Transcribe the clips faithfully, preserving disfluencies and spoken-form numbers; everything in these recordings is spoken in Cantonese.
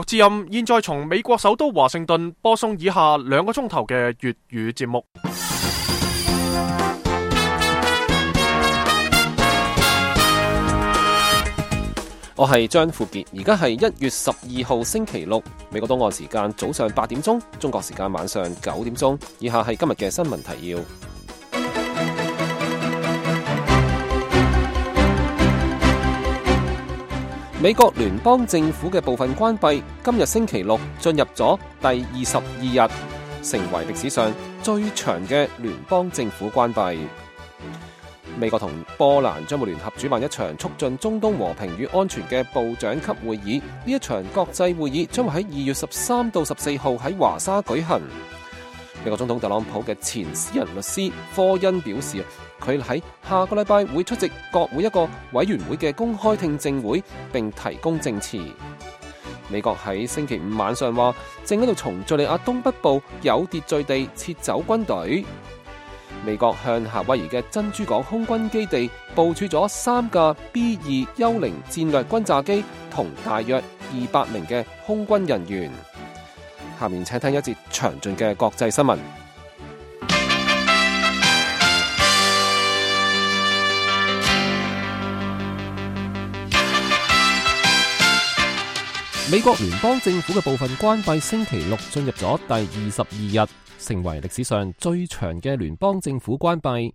之音現在從美國首都華盛頓播送以下兩個鐘頭嘅粵語節目。我係張富傑，而家係一月十二號星期六，美國東岸時間早上八點鐘，中國時間晚上九點鐘。以下係今日嘅新聞提要。美國聯邦政府嘅部分關閉，今日星期六進入咗第二十二日，成為歷史上最長嘅聯邦政府關閉。美國同波蘭將會聯合主辦一場促進中東和平與安全嘅部長級會議，呢一場國際會議將會喺二月十三到十四號喺華沙舉行。美國總統特朗普嘅前私人律師科恩表示，佢喺下個禮拜會出席國會一個委員會嘅公開聽證會，並提供證詞。美國喺星期五晚上話，正喺度從敘利亞東北部有秩序地撤走軍隊。美國向夏威夷嘅珍珠港空軍基地部署咗三架 B 二幽靈戰略轟炸機同大約二百名嘅空軍人員。下面請聽一節詳盡嘅國際新聞。美國聯邦政府嘅部分關閉，星期六進入咗第二十二日，成為歷史上最長嘅聯邦政府關閉。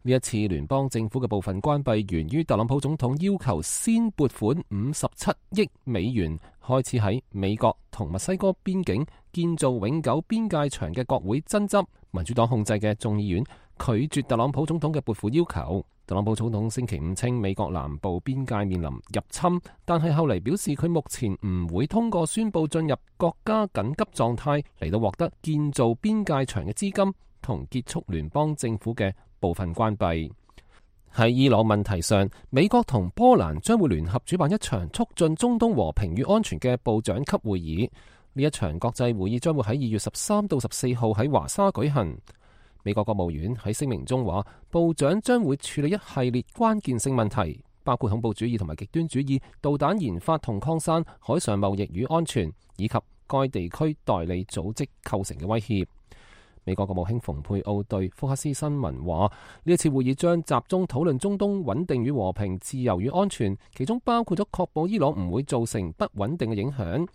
呢一次聯邦政府嘅部分關閉源於特朗普總統要求先撥款五十七億美元，開始喺美國同墨西哥邊境建造永久邊界牆嘅國會爭執。民主黨控制嘅眾議院拒絕特朗普總統嘅撥款要求。特朗普總統星期五稱美國南部邊界面臨入侵，但係後嚟表示佢目前唔會通過宣布進入國家緊急狀態嚟到獲得建造邊界牆嘅資金同結束聯邦政府嘅部分關閉。喺伊朗問題上，美國同波蘭將會聯合主辦一場促進中東和平與安全嘅部長級會議。呢一場國際會議將會喺二月十三到十四號喺華沙舉行。美國國務院喺聲明中話，部長將會處理一系列關鍵性問題，包括恐怖主義同埋極端主義、導彈研發同擴散、海上貿易與安全，以及該地區代理組織構成嘅威脅。美國國務卿蓬佩奧對福克斯新聞話，呢一次會議將集中討論中東穩定與和平、自由與安全，其中包括咗確保伊朗唔會造成不穩定嘅影響。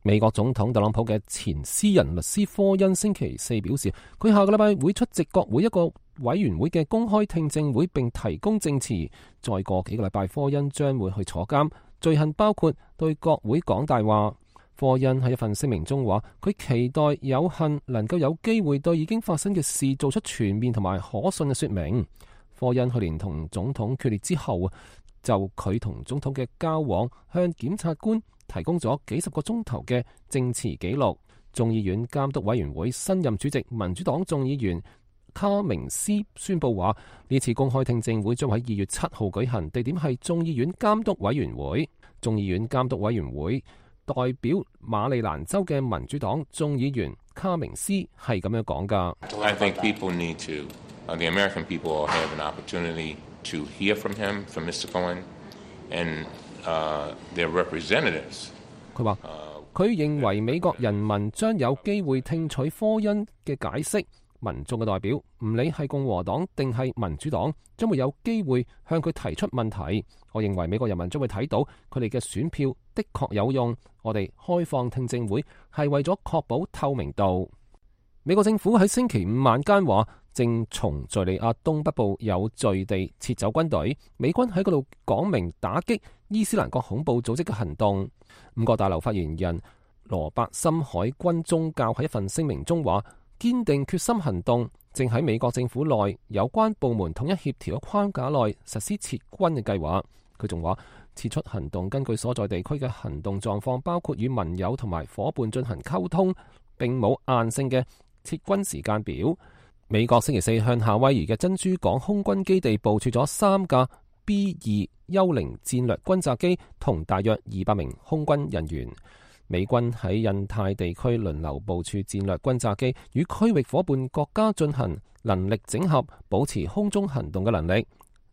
美國總統特朗普嘅前私人律師科恩星期四表示，佢下個禮拜會出席國會一個委員會嘅公開聽證會，並提供證詞。再過幾個禮拜，科恩將會去坐監，罪行包括對國會講大話。科恩喺一份聲明中話，佢期待有幸能夠有機會對已經發生嘅事做出全面同埋可信嘅說明。科恩去年同總統決裂之後，就佢同總統嘅交往向檢察官提供咗幾十個鐘頭嘅證詞記錄。眾議院監督委員會新任主席民主黨眾議員卡明斯宣布話，呢次公開聽證會將喺二月七號舉行，地點係眾議院監督委員會。眾議院監督委員會代表馬里蘭州嘅民主黨眾議員卡明斯係咁樣講㗎。I think people need to, uh, the American people have an opportunity to hear from him, from Mister Cohen, and uh, their representatives. 佢話佢認為美國人民將有機會聽取科恩嘅解釋。民眾嘅代表，唔理係共和黨定係民主黨，將會有機會向佢提出問題。我認為美國人民將會睇到佢哋嘅選票的確有用。我哋開放聽證會係為咗確保透明度。美國政府喺星期五晚間話，正從敘利亞東北部有序地撤走軍隊。美軍喺嗰度講明打擊伊斯蘭國恐怖組織嘅行動。五角大樓發言人羅伯森海軍宗教喺一份聲明中話，堅定決心行動，正喺美國政府內有關部門統一協調嘅框架內實施撤軍嘅計劃。佢仲話，撤出行動根據所在地區嘅行動狀況，包括與盟友同埋夥伴進行溝通，並冇硬性嘅撤軍時間表。美國星期四向夏威夷嘅珍珠港空軍基地部署咗三架 B 二幽靈戰略轟炸機同大約二百名空軍人員。美軍喺印太地區輪流部署戰略轟炸機，與區域夥伴國家進行能力整合，保持空中行動嘅能力。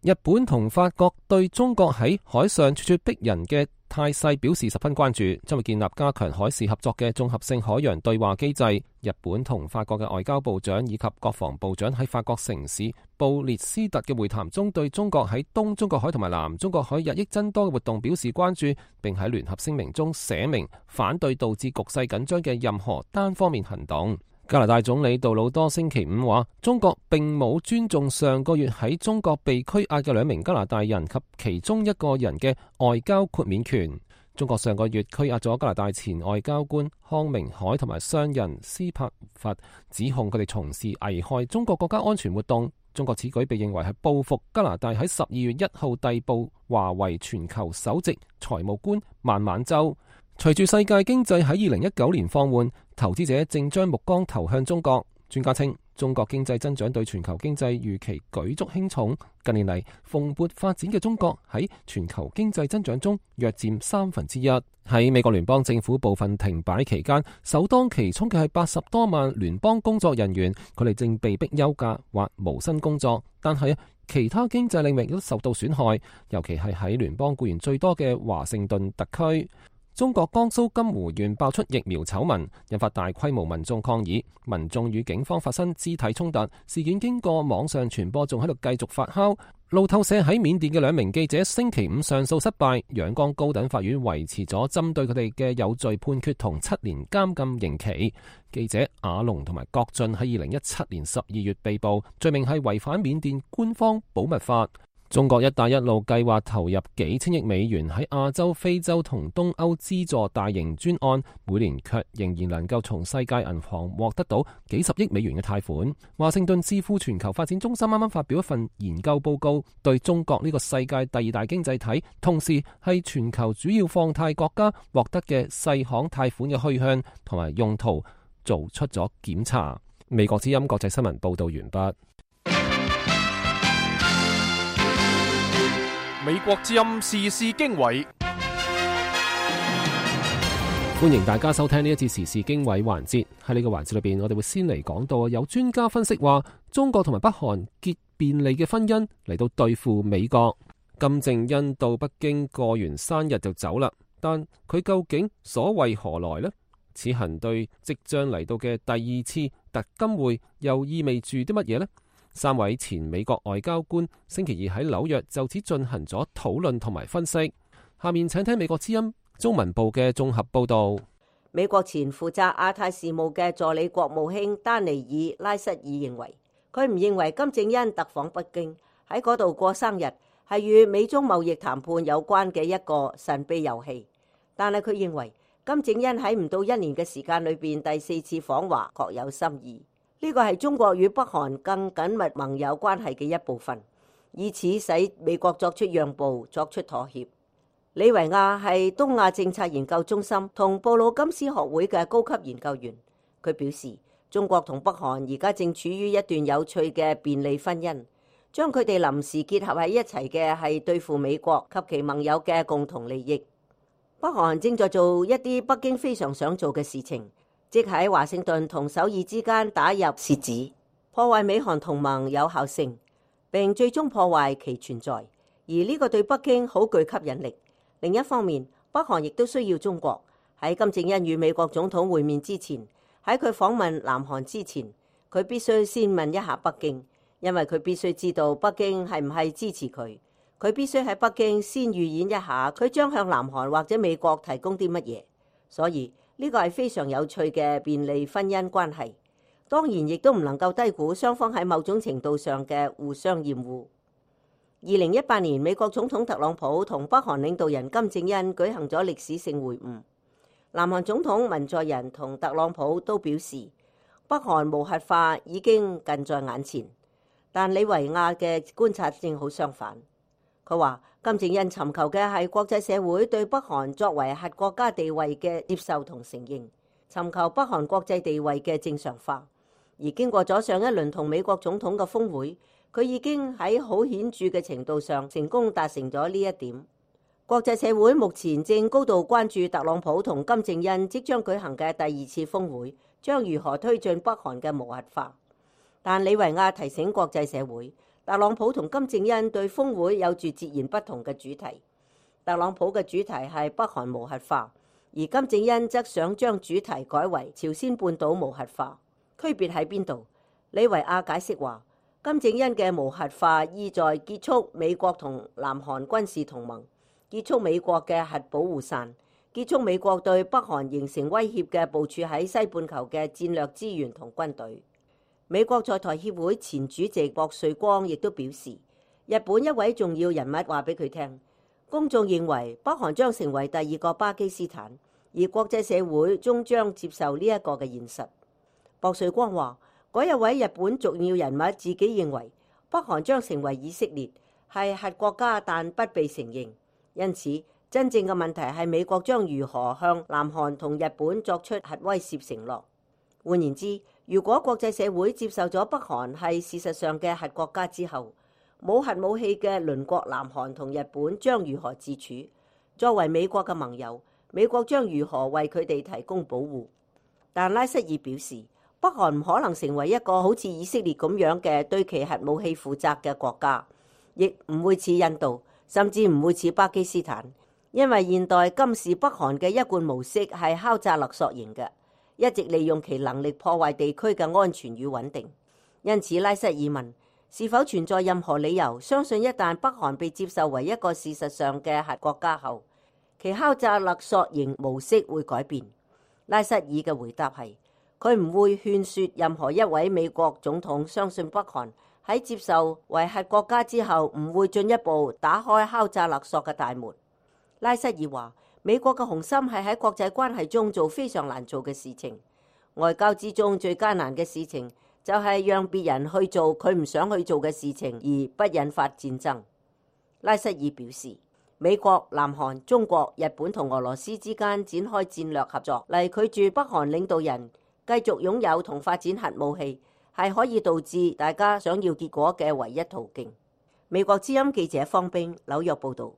日本同法國對中國喺海上處處逼人嘅態勢表示十分關注，將會建立加強海事合作嘅綜合性海洋對話機制。日本同法國嘅外交部長以及國防部長喺法國城市布列斯特嘅會談中，對中國喺東中國海同埋南中國海日益增多嘅活動表示關注，並喺聯合聲明中寫明反對導致局勢緊張嘅任何單方面行動。加拿大總理杜魯多星期五話，中國並冇尊重上個月喺中國被拘押嘅兩名加拿大人及其中一個人嘅外交豁免權。中國上個月拘押咗加拿大前外交官康明凱同埋商人斯帕弗，指控佢哋從事危害中國國家安全活動。中國此舉被認為係報復加拿大喺十二月一號逮捕華為全球首席財務官孟晚舟。隨住世界經濟喺二零一九年放緩，投資者正將目光投向中國。專家稱，中國經濟增長對全球經濟預期舉足輕重。近年嚟蓬勃發展嘅中國喺全球經濟增長中約佔三分之一。喺美國聯邦政府部分停擺期間，首當其衝嘅係八十多萬聯邦工作人員，佢哋正被迫休假或無薪工作。但係其他經濟領域都受到損害，尤其係喺聯邦僱員最多嘅華盛頓特區。中國江蘇金湖縣爆出疫苗醜聞，引發大規模民眾抗議，民眾與警方發生肢體衝突。事件經過網上傳播，仲喺度繼續發酵。路透社喺緬甸嘅兩名記者星期五上訴失敗，仰光高等法院維持咗針對佢哋嘅有罪判決同七年監禁刑期。記者阿龍同埋郭俊喺二零一七年十二月被捕，罪名係違反緬甸官方保密法。中國一帶一路計劃投入幾千億美元喺亞洲、非洲同東歐資助大型專案，每年卻仍然能夠從世界銀行獲得到幾十億美元嘅貸款。華盛頓智庫全球發展中心啱啱發表一份研究報告，對中國呢個世界第二大經濟體，同時係全球主要放貸國家獲得嘅細行貸款嘅去向同埋用途做出咗檢查。美國之音國際新聞報道完畢。美國之音時事經緯，歡迎大家收聽呢一次時事經緯環節。喺呢個環節裏邊，我哋會先嚟講到有專家分析話，中國同埋北韓結便利嘅婚姻嚟到對付美國。金正恩到北京過完生日就走啦，但佢究竟所為何來呢？此行對即將嚟到嘅第二次特金會又意味住啲乜嘢呢？三位前美國外交官星期二喺紐約就此進行咗討論同埋分析。下面請聽美國之音中文部嘅綜合報道。美國前負責亞太事務嘅助理國務卿丹尼爾拉瑟爾認為，佢唔認為金正恩特訪北京喺嗰度過生日係與美中貿易談判有關嘅一個神秘遊戲，但係佢認為金正恩喺唔到一年嘅時間裏邊第四次訪華確有心意。呢個係中國與北韓更緊密盟友關係嘅一部分，以此使美國作出讓步、作出妥協。李維亞係東亞政策研究中心同布魯金斯學會嘅高級研究員，佢表示，中國同北韓而家正處於一段有趣嘅便利婚姻，將佢哋臨時結合喺一齊嘅係對付美國及其盟友嘅共同利益。北韓正在做一啲北京非常想做嘅事情，即喺華盛頓同首爾之間打入楔子，破壞美韓同盟有效性，並最終破壞其存在。而呢個對北京好具吸引力。另一方面，北韓亦都需要中國。喺金正恩與美國總統會面之前，喺佢訪問南韓之前，佢必須先問一下北京，因為佢必須知道北京係唔係支持佢。佢必須喺北京先預演一下佢將向南韓或者美國提供啲乜嘢。所以呢個係非常有趣嘅便利婚姻關係，當然亦都唔能夠低估雙方喺某種程度上嘅互相厭惡。二零一八年，美國總統特朗普同北韓領導人金正恩舉行咗歷史性會晤，南韓總統文在寅同特朗普都表示北韓無核化已經近在眼前，但李維亞嘅觀察正好相反。佢話金正恩尋求嘅係國際社會對北韓作為核國家地位嘅接受同承認，尋求北韓國際地位嘅正常化。而經過咗上一輪同美國總統嘅峰會，佢已經喺好顯著嘅程度上成功達成咗呢一點。國際社會目前正高度關注特朗普同金正恩即將舉行嘅第二次峰會將如何推進北韓嘅無核化。但李維亞提醒國際社會，特朗普同金正恩對峰會有住截然不同嘅主題。特朗普嘅主題係北韓無核化，而金正恩則想將主題改為朝鮮半島無核化。區別喺邊度？李維亞解釋話，金正恩嘅無核化意在結束美國同南韓軍事同盟，結束美國嘅核保護傘，結束美國對北韓形成威脅嘅部署喺西半球嘅戰略資源同軍隊。美國在台協會前主席莫瑞光亦都表示，日本一位重要人物話俾佢聽，公眾認為北韓將成為第二個巴基斯坦，而國際社會終將接受呢一個嘅現實。莫瑞光話，嗰一位日本重要人物自己認為北韓將成為以色列，係核國家但不被承認，因此真正嘅問題係美國將如何向南韓同日本作出核威懾承諾。換言之，如果國際社會接受咗北韓係事實上嘅核國家之後，冇核武器嘅鄰國南韓同日本將如何自處？作為美國嘅盟友，美國將如何為佢哋提供保護？但拉塞爾表示，北韓唔可能成為一個好似以色列咁樣嘅對其核武器負責嘅國家，亦唔會似印度，甚至唔會似巴基斯坦，因為現代今時北韓嘅一貫模式係敲詐勒索型嘅，一直利用其能力破壞地區嘅安全與穩定。因此，拉塞爾問，是否存在任何理由相信一旦北韓被接受為一個事實上嘅核國家後，其敲詐勒索型模式會改變？拉塞爾嘅回答係，佢唔會勸說任何一位美國總統相信北韓喺接受為核國家之後唔會進一步打開敲詐勒索嘅大門。拉塞爾話，美國嘅雄心係喺國際關係中做非常難做嘅事情，外交之中最艱難嘅事情就係讓別人去做佢唔想去做嘅事情，而不引發戰爭。拉塞爾表示，美國、南韓、中國、日本同俄羅斯之間展開戰略合作嚟拒絕北韓領導人繼續擁有同發展核武器，係可以導致大家想要結果嘅唯一途徑。美國之音記者方冰紐約報導。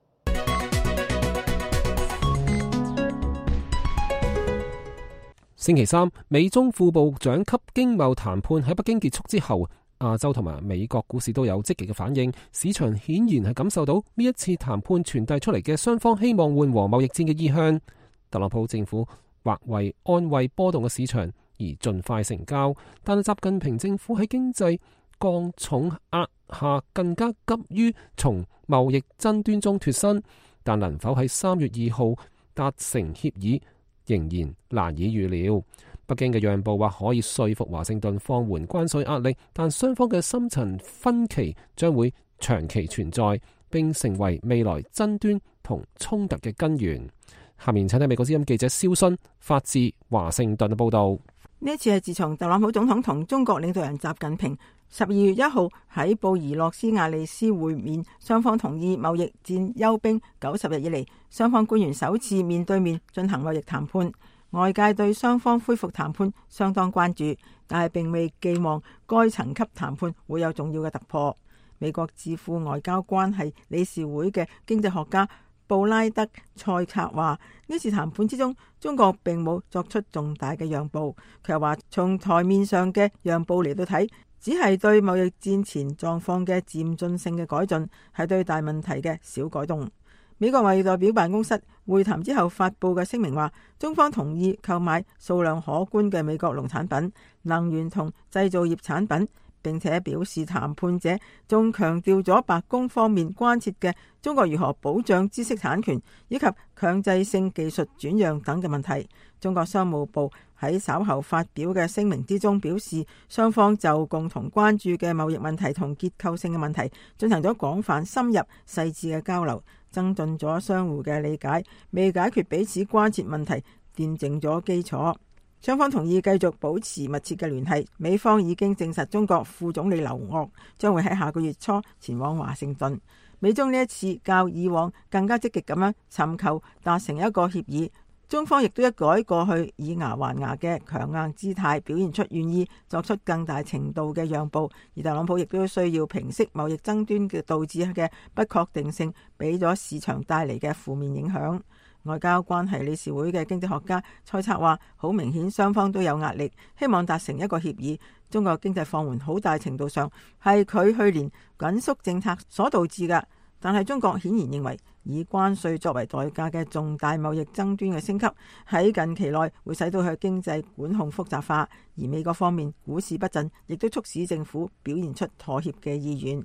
星期三，美中副部長級經貿談判喺北京結束之後，亞洲同埋美國股市都有積極嘅反應，市場顯然係感受到呢一次談判傳遞出嚟嘅雙方希望緩和貿易戰嘅意向。特朗普政府或為安慰波動嘅市場而盡快成交，但係習近平政府喺經濟降重壓下更加急於從貿易爭端中脫身，但能否喺三月二號達成協議仍然難以預料。北京嘅讓步或可以說服華盛頓放緩關稅壓力，但雙方嘅深層分歧將會長期存在，並成為未來爭端同衝突嘅根源。下面請睇美國之音記者蕭勳發自華盛頓嘅報道。呢一次係自從特朗普總統同中國領導人習近平十二月一號喺布宜諾斯艾利斯會面，雙方同意貿易戰休兵九十日以嚟，雙方官員首次面對面進行貿易談判。外界對雙方恢復談判相當關注，但係並未寄望該層級談判會有重要嘅突破。美國智庫外交關係理事會嘅經濟學家布拉德塞策話，呢次談判之中，中國並冇作出重大嘅讓步。佢又話，從台面上嘅讓步嚟到睇，只係對貿易戰前狀況嘅漸進性嘅改進，係對大問題嘅小改動。美國貿易代表辦公室會談之後發佈嘅聲明話，中方同意購買數量可觀嘅美國農產品、能源同製造業產品，並且表示談判者仲強調咗白宮方面關切嘅中國如何保障知識產權以及強制性技術轉讓等嘅問題。中國商務部喺稍後發表嘅聲明之中表示，雙方就共同關注嘅貿易問題同結構性嘅問題進行咗廣泛深入細緻嘅交流，增進咗相互嘅理解，未解決彼此關切問題奠定咗基礎。雙方同意繼續保持密切嘅聯繫。美方已經證實中國副總理劉鶴將會喺下個月初前往華盛頓。美中呢一次較以往更加積極咁樣尋求達成一個協議，中方亦都一改過去以牙還牙嘅強硬姿態，表現出願意作出更大程度嘅讓步。而特朗普亦都需要平息貿易爭端嘅導致嘅不確定性，俾咗市場帶嚟嘅負面影響。外交關係理事會嘅經濟學家猜測話，好明顯雙方都有壓力，希望達成一個協議。中國經濟放緩好大程度上係佢去年緊縮政策所導致嘅，但係中國顯然認為以關稅作為代價嘅重大貿易爭端嘅升級喺近期內會使到佢經濟管控複雜化，而美國方面股市不振，亦都促使政府表現出妥協嘅意願。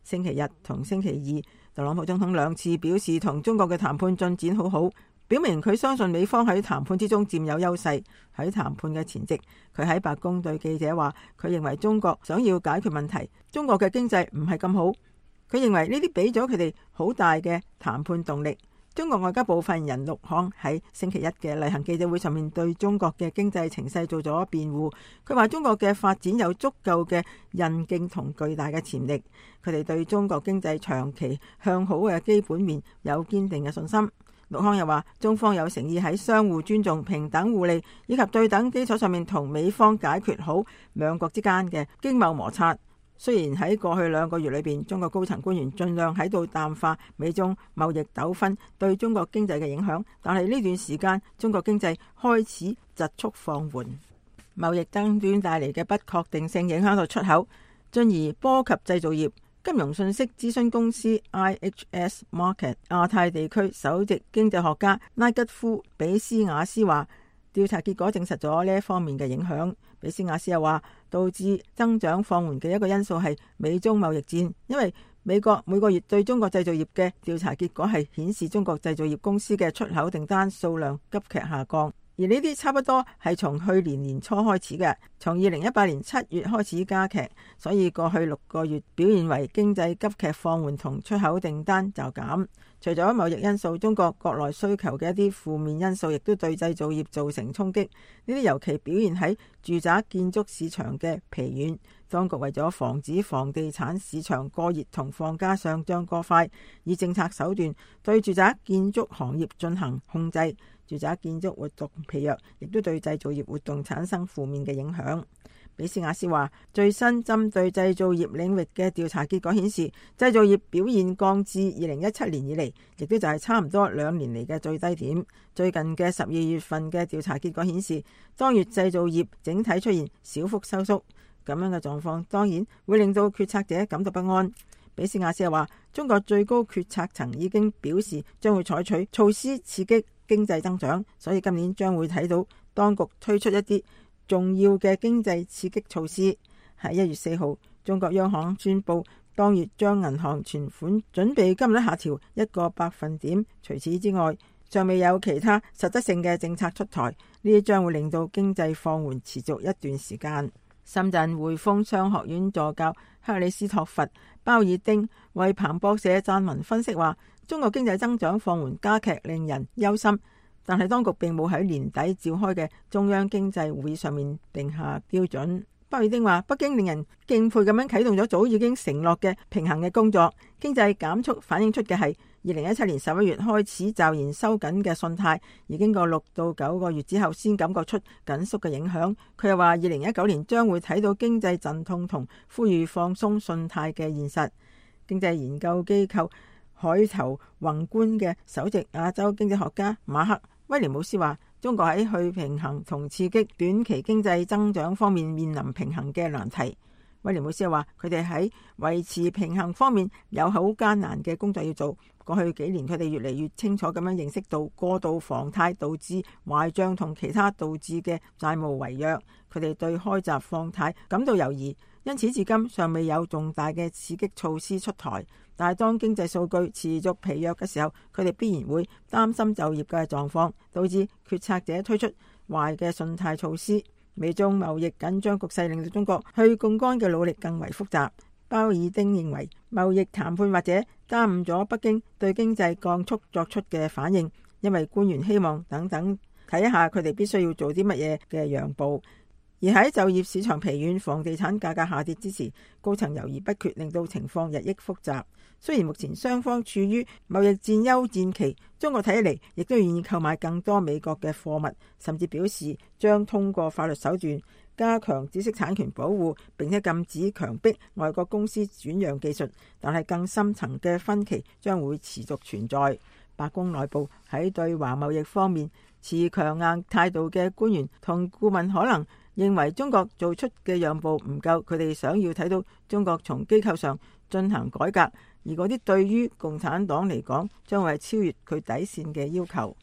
星期日同星期二，特朗普總統兩次表示同中國嘅談判進展好好，表明佢相信美方喺談判之中佔有優勢。喺談判嘅前夕，佢喺白宮對記者話，佢認為中國想要解決問題，中國嘅經濟唔係咁好。佢認為呢啲俾咗佢哋好大嘅談判動力。中國外交部發言人陸慷喺星期一嘅例行記者會上面對中國嘅經濟情勢做咗辯護。佢話中國嘅發展有足夠嘅韌勁同巨大嘅潛力，佢哋對中國經濟長期向好嘅基本面有堅定嘅信心。陸慷又話，中方有誠意喺相互尊重、平等互利以及對等基礎上面同美方解決好兩國之間嘅經貿摩擦。雖然喺過去兩個月裏邊，中國高層官員盡量喺度淡化美中貿易糾紛對中國經濟嘅影響，但係呢段時間中國經濟開始疾速放緩，貿易爭端帶嚟嘅不確定性影響到出口，進而波及製造業。金融信息諮詢公司 I H S Markit 亞太地區首席經濟學家拉吉夫比斯瓦斯話，調查結果證實咗呢一方面嘅影響。比斯瓦斯又話，導致增長放緩嘅一個因素係美中貿易戰，因為美國每個月對中國製造業嘅調查結果係顯示中國製造業公司嘅出口訂單數量急劇下降。而呢啲差不多係從去年年初開始嘅，從二零一八年七月開始加劇，所以過去六個月表現為經濟急劇放緩同出口訂單驟減。除咗貿易因素，中國國內需求嘅一啲負面因素亦都對製造業造成衝擊。呢啲尤其表現喺住宅建築市場嘅疲軟。當局為咗防止房地產市場過熱同房價上漲過快，以政策手段對住宅建築行業進行控制。住宅建築活動疲弱，亦都對製造業活動產生負面嘅影響。比斯瓦斯話，最新針對製造業領域嘅調查結果顯示，製造業表現降至二零一七年以嚟，亦都就係差唔多兩年嚟嘅最低點。最近嘅十二月份嘅調查結果顯示，當月製造業整體出現小幅收縮。咁樣嘅狀況當然會令到決策者感到不安。比斯瓦斯又話，中國最高決策層已經表示將會採取措施刺激經濟增長，所以今年將會睇到當局推出一啲重要嘅經濟刺激措施。喺一月四號，中國央行宣布當月將銀行存款準備金率下調一個百分點。除此之外，尚未有其他實質性嘅政策出台，呢啲將會令到經濟放緩持續一段時間。深圳匯豐商學院助教克里斯托弗鮑爾丁為彭博社撰文分析話，中國經濟增長放緩加劇令人憂心，但係當局並冇喺年底召開嘅中央經濟會議上面定下標準。鮑爾丁話，北京令人敬佩咁樣啟動咗早已經承諾嘅平衡嘅工作，經濟減速反映出嘅係二零一七年十一月開始驟然收緊嘅信貸，而經過六到九個月之後先感覺出緊縮嘅影響。佢又話，二零一九年將會睇到經濟陣痛同呼籲放鬆信貸嘅現實。經濟研究機構海投宏觀嘅首席亞洲經濟學家馬克威廉姆斯話，中國喺去平衡同刺激短期經濟增長方面面臨平衡嘅難題。威廉姆斯話，佢哋喺維持平衡方面有好艱難嘅工作要做。過去幾年，佢哋越嚟越清楚咁樣認識到過度房貸導致壞賬同其他導致嘅債務違約。佢哋對開閘放貸感到猶豫，因此至今尚未有重大嘅刺激措施出台。但係當經濟數據持續疲弱嘅時候，佢哋必然會擔心就業嘅狀況，導致決策者推出壞嘅信貸措施。美中貿易緊張局勢令到中國去槓桿嘅努力更為複雜。鮑爾丁認為，貿易談判或者耽誤咗北京對經濟降速作出嘅反應，因為官員希望等等睇下佢哋必須要做啲乜嘢嘅讓步。而喺就業市場疲軟、房地產價格下跌之時，高層猶豫不決，令到情況日益複雜。雖然目前雙方處於貿易戰休戰期，中國睇起嚟亦都願意購買更多美國嘅貨物，甚至表示將通過法律手段加強知識產權保護，並且禁止強迫外國公司轉讓技術。但係更深層嘅分歧將會持續存在。鮑白宮內部喺對華貿易方面持強硬態度嘅官員同顧問可能認為中國做出嘅讓步唔夠，佢哋想要睇到中國從機構上進行改革，而嗰啲對於共產黨嚟講將會係超越佢底線嘅要求。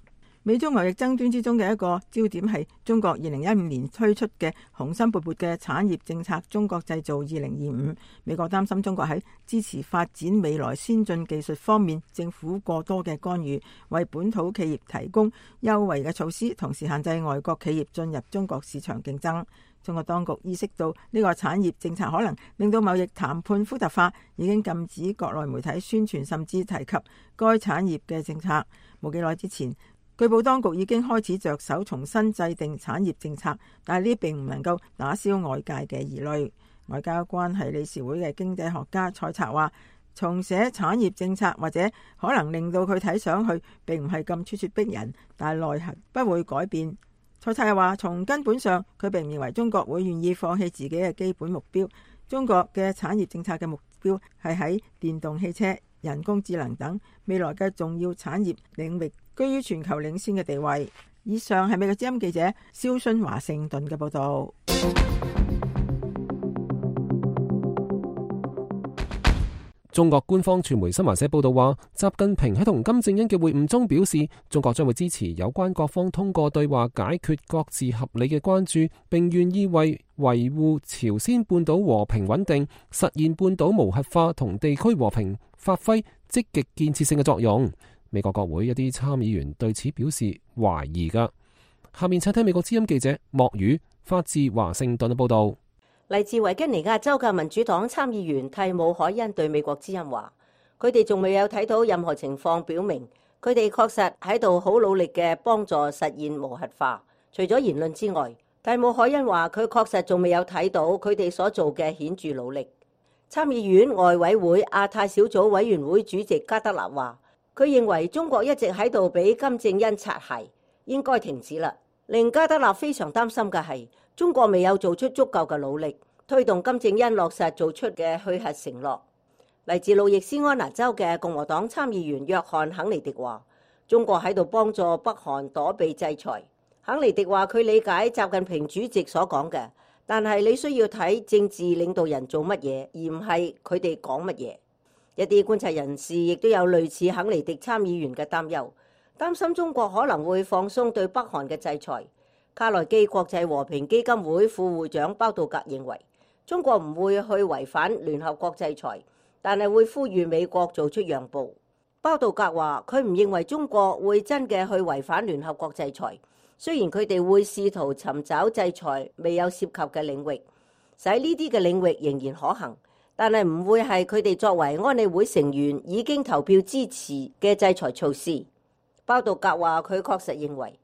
美中貿易爭端之中嘅一個焦點係中國二零一五年推出嘅雄心勃勃嘅產業政策中國製造二零二五。美國擔心中國喺支持發展未來先進技術方面政府過多嘅干預，為本土企業提供優惠嘅措施，同時限制外國企業進入中國市場競爭。中國當局意識到呢個產業政策可能令到貿易談判複雜化，已經禁止國內媒體宣傳甚至提及該產業嘅政策。冇幾耐之前，據報當局已經開始着手重新制定產業政策，但係呢並唔能夠打消外界嘅疑慮。外交關係理事會嘅經濟學家蔡策話，重寫產業政策或者可能令到佢睇上去並唔係咁咄咄逼人，但係內核不會改變。蔡策又話，從根本上佢並唔認為中國會願意放棄自己嘅基本目標。中國嘅產業政策嘅目標係喺電動汽車、人工智能等未來嘅重要產業領域居於全球領先嘅地位。以上係美國之音記者蕭春華盛頓嘅報道。中國官方傳媒新華社報道話，習近平喺同金正恩嘅會晤中表示，中國將會支持有關各方通過對話解決各自合理嘅關注，並願意為維護朝鮮半島和平穩定、實現半島無核化同地區和平發揮積極建設性嘅作用。美國國會一啲參議員對此表示懷疑㗎。下面請聽美國之音記者莫宇發自華盛頓嘅報道。嚟自維吉尼亞州嘅民主黨參議員蒂姆凱恩對美國之音話，佢哋仲未有睇到任何情況表明佢哋確實喺度好努力嘅幫助實現無核化。除咗言論之外，蒂姆凱恩話佢確實仲未有睇到佢哋所做嘅顯著努力。參議院外委會亞太小組委員會主席加德納話，佢認為中國一直喺度俾金正恩擦鞋，應該停止啦。令加德納非常擔心嘅係，中國未有做出足夠嘅努力，推動金正恩落實做出嘅去核承諾。嚟自路易斯安那州嘅共和黨參議員約翰肯尼迪話，中國喺度幫助北韓躲避制裁。肯尼迪話佢理解習近平主席所講嘅，但係你需要睇政治領導人做乜嘢，而唔係佢哋講乜嘢。一啲觀察人士亦都有類似肯尼迪參議員嘅擔憂，擔心中國可能會放鬆對北韓嘅制裁。卡內基國際和平基金會副會長包道格認為，中國唔會去違反聯合國制裁，但係會呼籲美國做出讓步。包道格話，佢唔認為中國會真嘅去違反聯合國制裁，雖然佢哋會試圖尋找制裁未有涉及嘅領域，使呢啲嘅領域仍然可行，但係唔會係佢哋作為安理會成員已經投票支持嘅制裁措施。包道格話，佢確實認為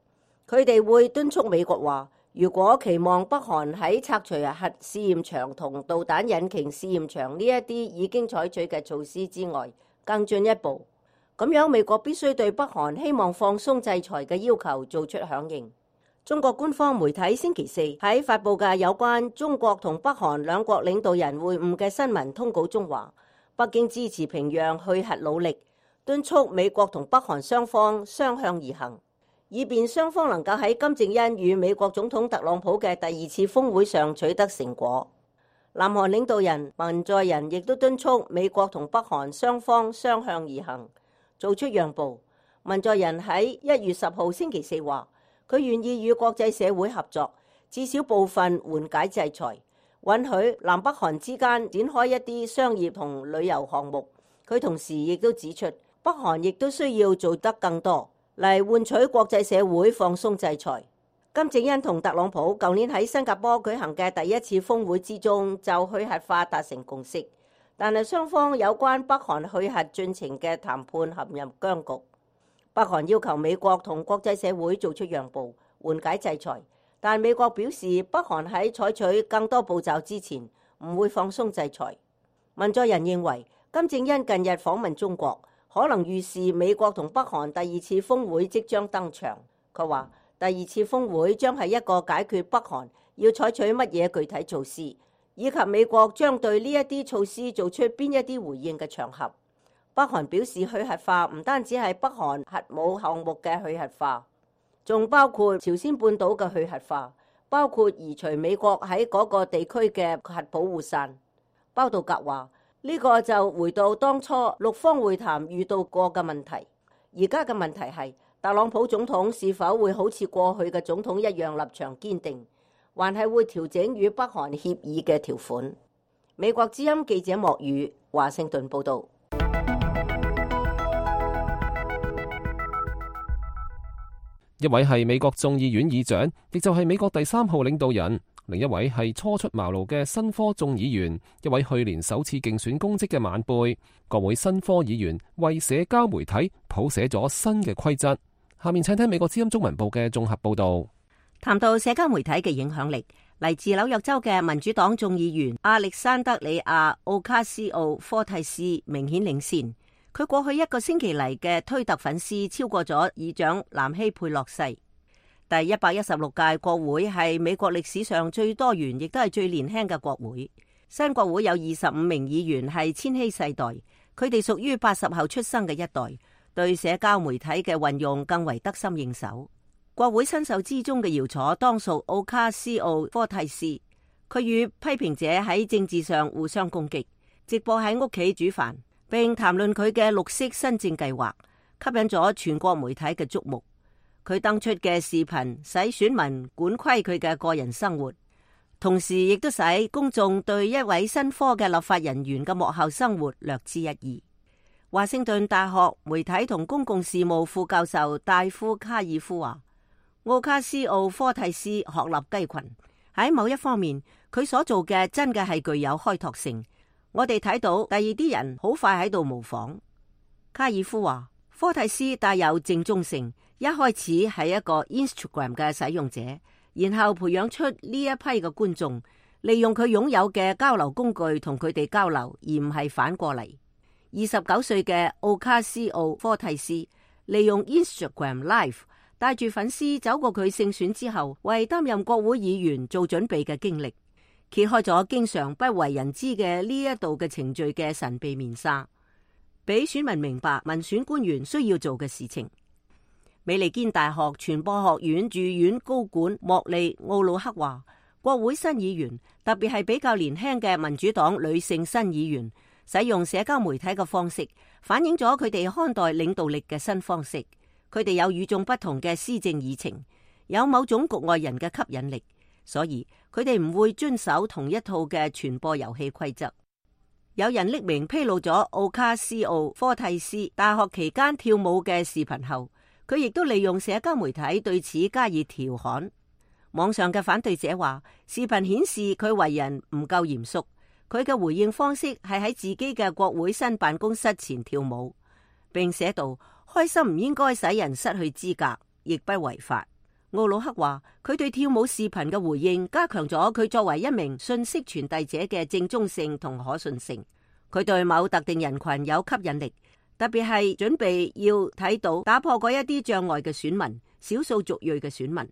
佢哋會敦促美國話，如果期望北韓喺拆除核試驗場同導彈引擎試驗場呢一啲已經採取嘅措施之外更進一步，咁樣美國必須對北韓希望放鬆制裁嘅要求做出響應。中國官方媒體星期四喺發布嘅有關中國同北韓兩國領導人會晤嘅新聞通稿中話，北京支持平壤去核努力，敦促美國同北韓雙方相向而行，以便雙方能夠喺金正恩與美國總統特朗普嘅第二次峰會上取得成果。南韓領導人文在寅亦都敦促美國同北韓雙方相向而行，做出讓步。文在寅喺一月十號星期四話，佢願意與國際社會合作，至少部分緩解制裁，允許南北韓之間展開一啲商業同旅遊項目。佢同時亦都指出，北韓亦都需要做得更多嚟換取國際社會放鬆制裁。金正恩同特朗普舊年喺新加坡舉行嘅第一次峰會之中就去核化達成共識，但係雙方有關北韓去核進程嘅談判陷入僵局。北韓要求美國同國際社會做出讓步，緩解制裁，但美國表示北韓喺採取更多步驟之前唔會放鬆制裁。文在寅認為金正恩近日訪問中國，可能預示美國同北韓第二次峰會即將登場。佢話第二次峰會將係一個解決北韓要採取乜嘢具體措施，以及美國將對呢一啲措施做出邊一啲回應嘅場合。北韓表示去核化唔單止係北韓核武項目嘅去核化，仲包括朝鮮半島嘅去核化，包括移除美國喺嗰個地區嘅核保護傘。包道格話：呢個就回到當初六方會談遇到過嘅問題。而家嘅問題係特朗普總統是否會好似過去嘅總統一樣立場堅定，還係會調整與北韓協議嘅條款。美國之音記者莫宇華盛頓報道。一位係美國眾議院議長，亦就係美國第三號領導人；另一位係初出茅廬嘅新科眾議員，一位去年首次競選公職嘅晚輩。國會新科議員為社交媒體譜寫咗新嘅規則。下面請聽美國之音中文部嘅綜合報道。談到社交媒體嘅影響力，嚟自紐約州嘅民主黨眾議員亞歷山德里亞奧卡斯奧科蒂斯明顯領先。佢過去一個星期嚟嘅推特粉絲超過咗議長南希佩洛西。第一百一十六屆國會係美國歷史上最多元，亦都係最年輕嘅國會。新國會有二十五名議員係千禧世代，佢哋屬於八十後出生嘅一代，對社交媒體嘅運用更為得心應手。國會新秀之中嘅翹楚當屬奧卡斯奧科蒂斯，佢與批評者喺政治上互相攻擊，直播喺屋企煮飯，並談論佢嘅綠色新政計劃，吸引咗全國媒體嘅矚目。佢登出嘅視頻使選民管窺佢嘅個人生活，同時亦都使公眾對一位新科嘅立法人員嘅幕後生活略知一二。華盛頓大學媒體同公共事務副教授戴夫卡爾夫話：奧卡斯奧科蒂斯鶴立雞群，喺某一方面，佢所做嘅真嘅係具有開拓性。我哋睇到第二啲人好快喺度模仿。卡爾夫話：科蒂斯帶有正宗性，一開始係一個 Instagram 嘅使用者，然後培養出呢一批嘅觀眾，利用佢擁有嘅交流工具同佢哋交流，而唔係反過嚟。二十九歲嘅奧卡斯奧科蒂斯利用 Instagram Live 帶住粉絲走過佢勝選之後為擔任國會議員做準備嘅經歷，揭開咗經常不為人知嘅呢一度嘅程序嘅神秘面紗，俾選民明白民選官員需要做嘅事情。美利堅大學傳播學院駐院高管莫利奧魯克話：國會新議員，特別係比較年輕嘅民主黨女性新議員，使用社交媒體嘅方式，反映咗佢哋看待領導力嘅新方式。佢哋有與眾不同嘅施政議程，有某種局外人嘅吸引力，所以佢哋唔會遵守同一套嘅傳播遊戲規則。有人匿名披露咗奧卡斯奧科蒂斯大學期間跳舞嘅視頻後，佢亦都利用社交媒體對此加以調侃。網上嘅反對者話，視頻顯示佢為人唔夠嚴肅，佢嘅回應方式係喺自己嘅國會新辦公室前跳舞，並寫道：開心唔應該使人失去資格，亦不違法。奧魯克話，佢對跳舞視頻嘅回應加強咗佢作為一名信息傳遞者嘅正宗性同可信性。佢對某特定人群有吸引力，特別係準備要睇到打破嗰一啲障礙嘅選民，少數族裔嘅選民。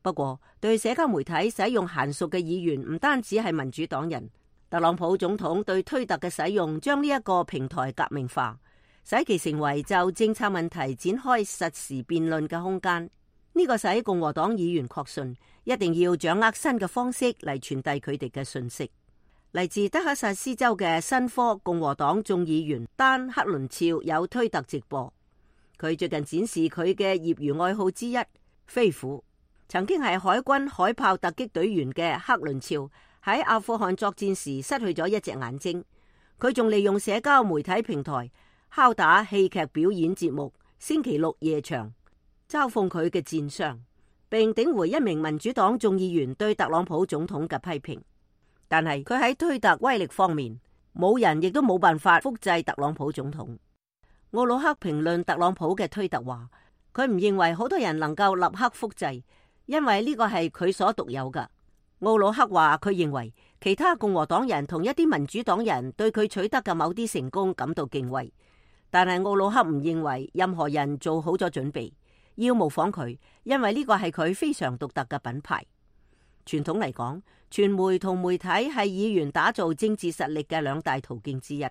不過，對社交媒體使用嫻熟嘅議員唔單止係民主黨人。特朗普總統對推特嘅使用，將呢一個平台革命化，使其成為就政策問題展開實時辯論嘅空間。呢個使共和黨議員確信一定要掌握新嘅方式嚟傳遞佢哋嘅信息。嚟自德克薩斯州嘅新科共和黨眾議員丹克倫肖有推特直播，佢最近展示佢嘅業餘愛好之一飛虎。曾經係海軍海豹突擊隊員嘅克倫肖喺阿富汗作戰時失去咗一隻眼睛，佢仲利用社交媒體平台敲打戲劇表演節目星期六夜場，嘲諷佢嘅戰傷，並頂回一名民主黨眾議員對特朗普總統嘅批評。但係佢喺推特威力方面，冇人亦都冇辦法複製特朗普總統。奧魯克評論特朗普嘅推特話，佢唔認為好多人能夠立刻複製，因為呢個係佢所獨有㗎。奧魯克話佢認為其他共和黨人同一啲民主黨人對佢取得嘅某啲成功感到敬畏，但係奧魯克唔認為任何人做好咗準備要模仿佢，因為呢個係佢非常獨特嘅品牌。傳統嚟講，傳媒同媒體係議員打造政治實力嘅兩大途徑之一。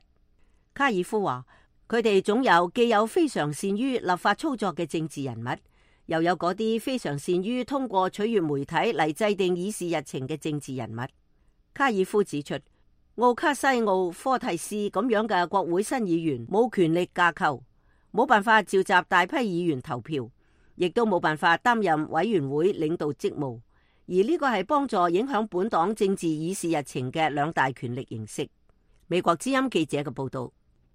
卡爾夫話佢哋總有既有非常善於立法操作嘅政治人物，又有嗰啲非常善於通過取悅媒體嚟制定議事日程嘅政治人物。卡爾夫指出，奧卡西奧科蒂斯咁樣嘅國會新議員冇權力架構，冇辦法召集大批議員投票，亦都冇辦法擔任委員會領導職務。而呢個係幫助影響本黨政治議事日程嘅兩大權力形式。美國之音記者嘅報道。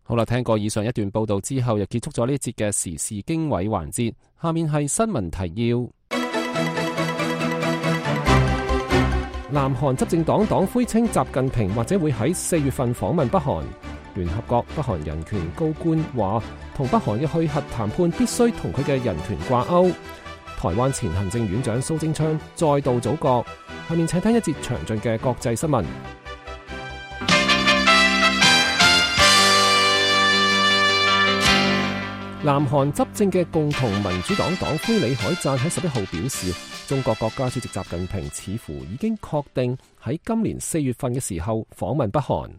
好啦，聽過以上一段報道之後，又結束咗呢一節嘅時事經緯環節。下面係新聞提要。南韓執政黨黨魁稱習近平或者會喺四月份訪問北韓。聯合國北韓人權高官話，同北韓嘅去核談判必須同佢嘅人權掛鈎。台灣前行政院長蘇貞昌再度組閣。下面請聽一節詳盡嘅國際新聞。南韓執政嘅共同民主黨黨魁李海贊喺十一號表示，中國國家主席習近平似乎已經確定喺今年四月份嘅時候訪問北韓。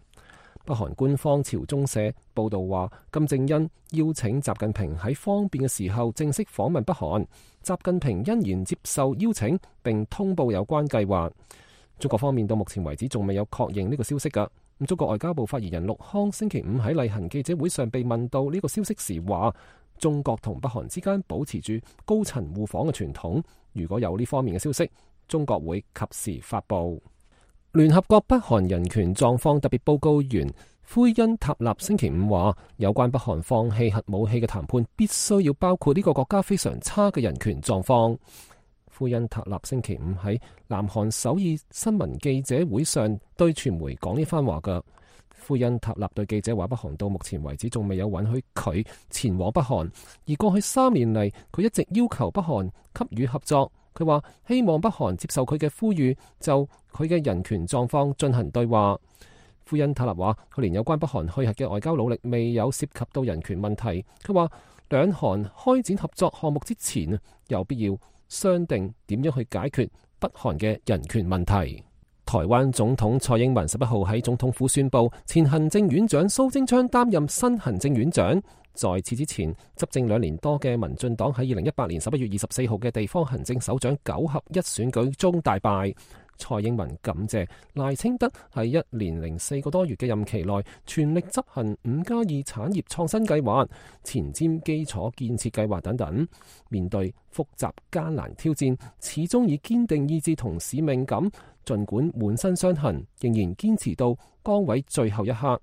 北韓官方朝中社報道話，金正恩邀請習近平喺方便嘅時候正式訪問北韓，習近平欣然接受邀請並通報有關計劃。中國方面到目前為止仲未有確認呢個消息㗎。咁中國外交部發言人陸康星期五喺例行記者會上被問到呢個消息時話，中國同北韓之間保持住高層互訪嘅傳統，如果有呢方面嘅消息，中國會及時發布。聯合國北韓人權狀況特別報告員奎恩塔納星期五話，有關北韓放棄核武器嘅談判必須要包括呢個國家非常差嘅人權狀況。奎恩塔納星期五喺南韓首爾新聞記者會上對傳媒講呢番話㗎。奎恩塔納對記者話，北韓到目前為止仲未有允許佢前往北韓，而過去三年嚟佢一直要求北韓給予合作。佢話希望北韓接受佢嘅呼籲，就佢嘅人權狀況進行對話。奎恩塔納話，佢連有關北韓去核嘅外交努力未有涉及到人權問題。佢話兩韓開展合作項目之前，有必要商定點樣去解決北韓嘅人權問題。台灣總統蔡英文十一號喺總統府宣布，前行政院長蘇貞昌擔任新行政院長。在此之前，執政兩年多嘅民進黨喺二零一八年十一月二十四號嘅地方行政首長九合一選舉中大敗。蔡英文感謝賴清德喺一年零四個多月嘅任期內全力執行五加二產業創新計劃、前瞻基礎建設計劃等等。面對複雜艱難挑戰，始終以堅定意志同使命感，儘管滿身傷痕，仍然堅持到崗位最後一刻。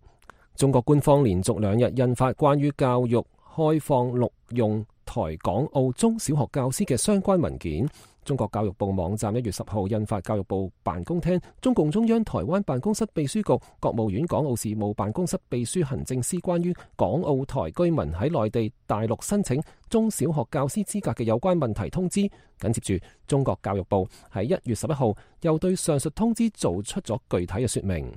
中國官方連續兩日印發關於教育開放錄用台港澳中小學教師嘅相關文件。中國教育部網站一月十號印發教育部辦公廳、中共中央台灣辦公室秘書局、國務院港澳事務辦公室秘書行政司關於港澳台居民喺內地大陸申請中小學教師資格嘅有關問題通知。緊接住，中國教育部喺一月十一號又對上述通知做出咗具體嘅說明。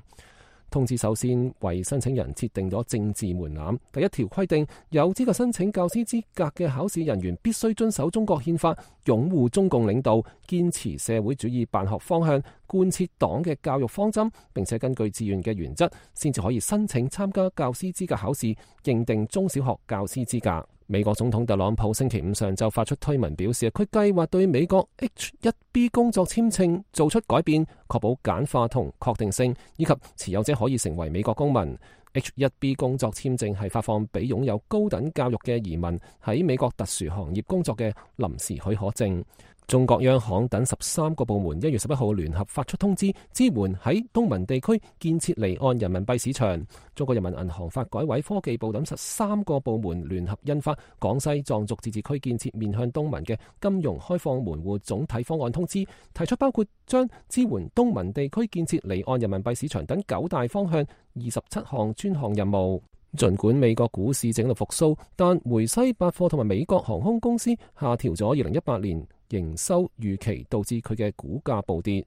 通知首先為申請人設定咗政治門檻。第一條規定，有資格申請教師資格嘅考試人員必須遵守中國憲法，擁護中共領導，堅持社會主義辦學方向，貫徹黨嘅教育方針，並且根據自願嘅原則，先至可以申請參加教師資格考試，認定中小學教師資格。美國總統特朗普星期五上晝發出推文表示，佢計劃對美國 H 一 B 工作簽證做出改變，確保簡化同確定性，以及持有者可以成為美國公民。H 一 B 工作簽證係發放俾擁有高等教育嘅移民喺美國特殊行業工作嘅臨時許可證。中國央行等十三個部門一月十一號聯合發出通知，支援喺東盟地區建設離岸人民幣市場。中國人民銀行、發改委、科技部等十三個部門聯合印發廣西壯族自治區建設面向東盟嘅金融開放門戶總體方案通知，提出包括將支援東盟地區建設離岸人民幣市場等九大方向二十七項專項任務。儘管美國股市整個復甦，但梅西百貨同埋美國航空公司下調咗二零一八年營收預期，導致佢嘅股價暴跌。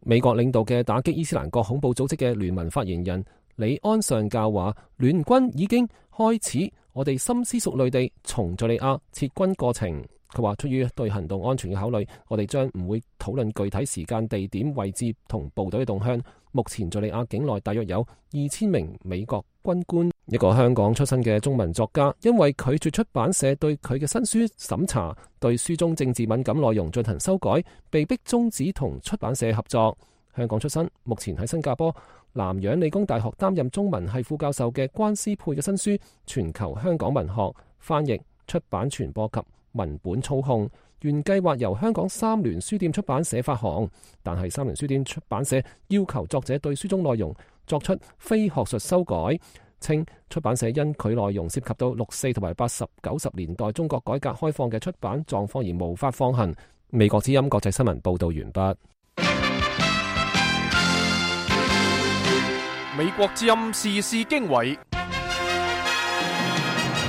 美國領導嘅打擊伊斯蘭國恐怖組織嘅聯盟發言人李安上校話，聯軍已經開始我哋深思熟慮地從敘利亞撤軍過程。佢話，出於對行動安全嘅考慮，我哋將唔會討論具體時間、地點、位置同部隊嘅動向。目前敘利亞境內大約有二千名美國軍官一個香港出身嘅中文作家，因為拒絕出版社對佢嘅新書審查，對書中政治敏感內容進行修改，被迫終止同出版社合作。香港出身，目前喺新加坡南洋理工大學擔任中文系副教授嘅關思佩嘅新書《全球香港文學翻譯、出版、傳播及文本操控》，原計劃由香港三聯書店出版社發行，但係三聯書店出版社要求作者對書中內容作出非學術修改，稱出版社因佢內容涉及到六四同埋八十九十年代中國改革開放嘅出版狀況而無法放行。美國之音國際新聞報道完畢。美國之音時事經緯，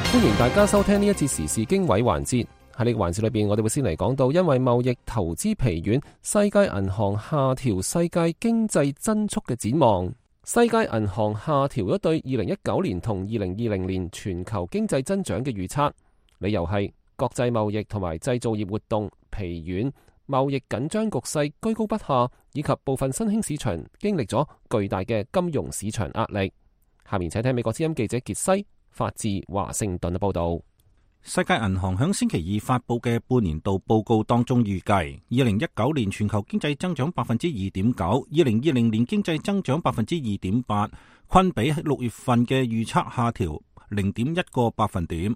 歡迎大家收聽呢一次時事經緯環節。喺呢個環節裏邊，我哋會先嚟講到，因為貿易投資疲軟，世界銀行下調世界經濟增速嘅展望。世界銀行下調咗對二零一九年同二零二零年全球經濟增長嘅預測，理由係國際貿易同埋製造業活動疲軟，貿易緊張局勢居高不下，以及部分新興市場經歷咗巨大嘅金融市場壓力。下面請聽美國之音記者傑西發自華盛頓嘅報道。世界銀行響星期二發佈嘅半年度報告當中預計，二零一九年全球經濟增長百分之二點九，二零二零年經濟增長百分之二點八，均比喺六月份嘅預測下調零點一個百分點。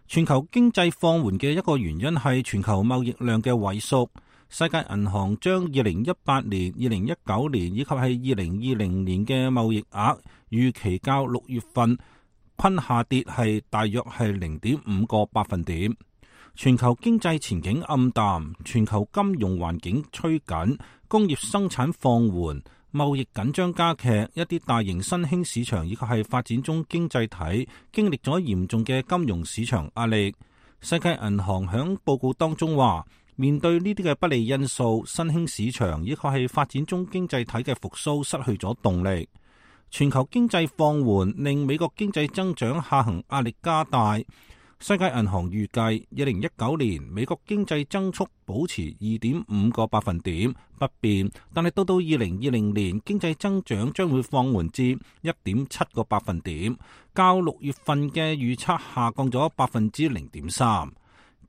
全球經濟放緩嘅一個原因係全球貿易量嘅萎縮。世界銀行將二零一八年、二零一九年以及係二零二零年嘅貿易額預期較六月份均下跌係大約係零點五個百分點。全球經濟前景暗淡，全球金融環境趨緊，工業生產放緩，貿易緊張加劇，一啲大型新興市場以及係發展中經濟體經歷咗嚴重嘅金融市場壓力。世界銀行響報告當中話，面對呢啲嘅不利因素，新興市場以及係發展中經濟體嘅復甦失去咗動力。全球經濟放緩令美國經濟增長下行壓力加大。世界銀行預計二零一九年美國經濟增速保持二點五個百分點不變，但係到到二零二零年經濟增長將會放緩至一點七個百分點，較六月份嘅預測下降咗百分之零點三。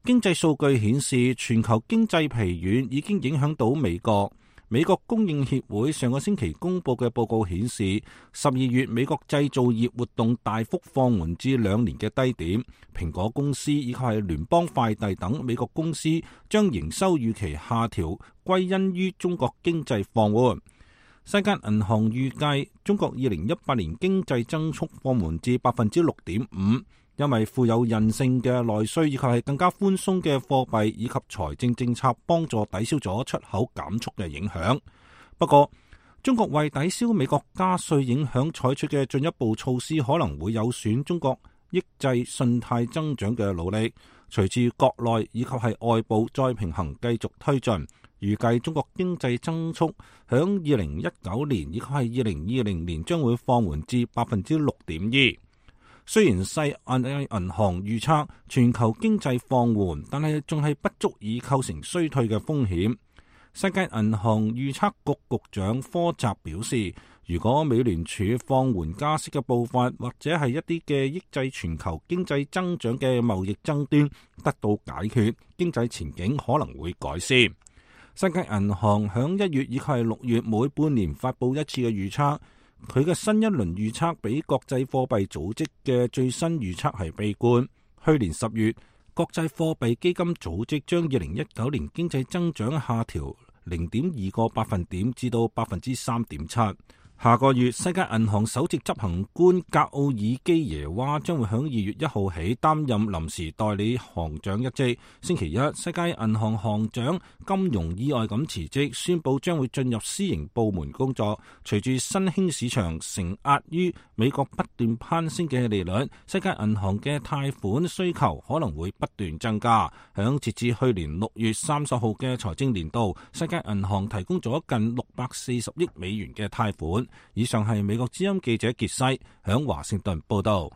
經濟數據顯示，全球經濟疲軟已經影響到美國。美國供應協會上個星期公布嘅報告顯示，十二月美國製造業活動大幅放緩至兩年嘅低點。蘋果公司以及係聯邦快遞等美國公司將營收預期下調，歸因於中國經濟放緩。世界銀行預計中國二零一八年經濟增速放緩至百分之六點五。因為富有韌性嘅內需以及係更加寬鬆嘅貨幣以及財政政策幫助抵消咗出口減速嘅影響。不過，中國為抵消美國加稅影響採取嘅進一步措施可能會有損中國抑制信貸增長嘅努力。隨住國內以及係外部再平衡繼續推進，預計中國經濟增速響二零一九年以及係二零二零年將會放緩至百分之六點二。雖然世界銀行預測全球經濟放緩，但係仲係不足以構成衰退嘅風險。世界銀行預測局局長科澤表示，如果美聯儲放緩加息嘅步伐，或者係一啲嘅抑制全球經濟增長嘅貿易爭端得到解決，經濟前景可能會改善。世界銀行響一月以及係六月每半年發佈一次嘅預測。佢嘅新一輪預測比國際貨幣組織嘅最新預測係悲觀。去年十月，國際貨幣基金組織將二零一九年經濟增長下調零點二個百分點至到百分之三點七。下個月，世界銀行首席執行官格奧爾基耶娃將會響二月一號起擔任臨時代理行長一職。星期一，世界銀行行長金融意外咁辭職，宣布將會進入私營部門工作。隨住新興市場承壓於美國不斷攀升嘅利率，世界銀行嘅貸款需求可能會不斷增加。響截至去年六月三十號嘅財政年度，世界銀行提供咗近六百四十億美元嘅貸款。以上係美國之音記者傑西響華盛頓報道。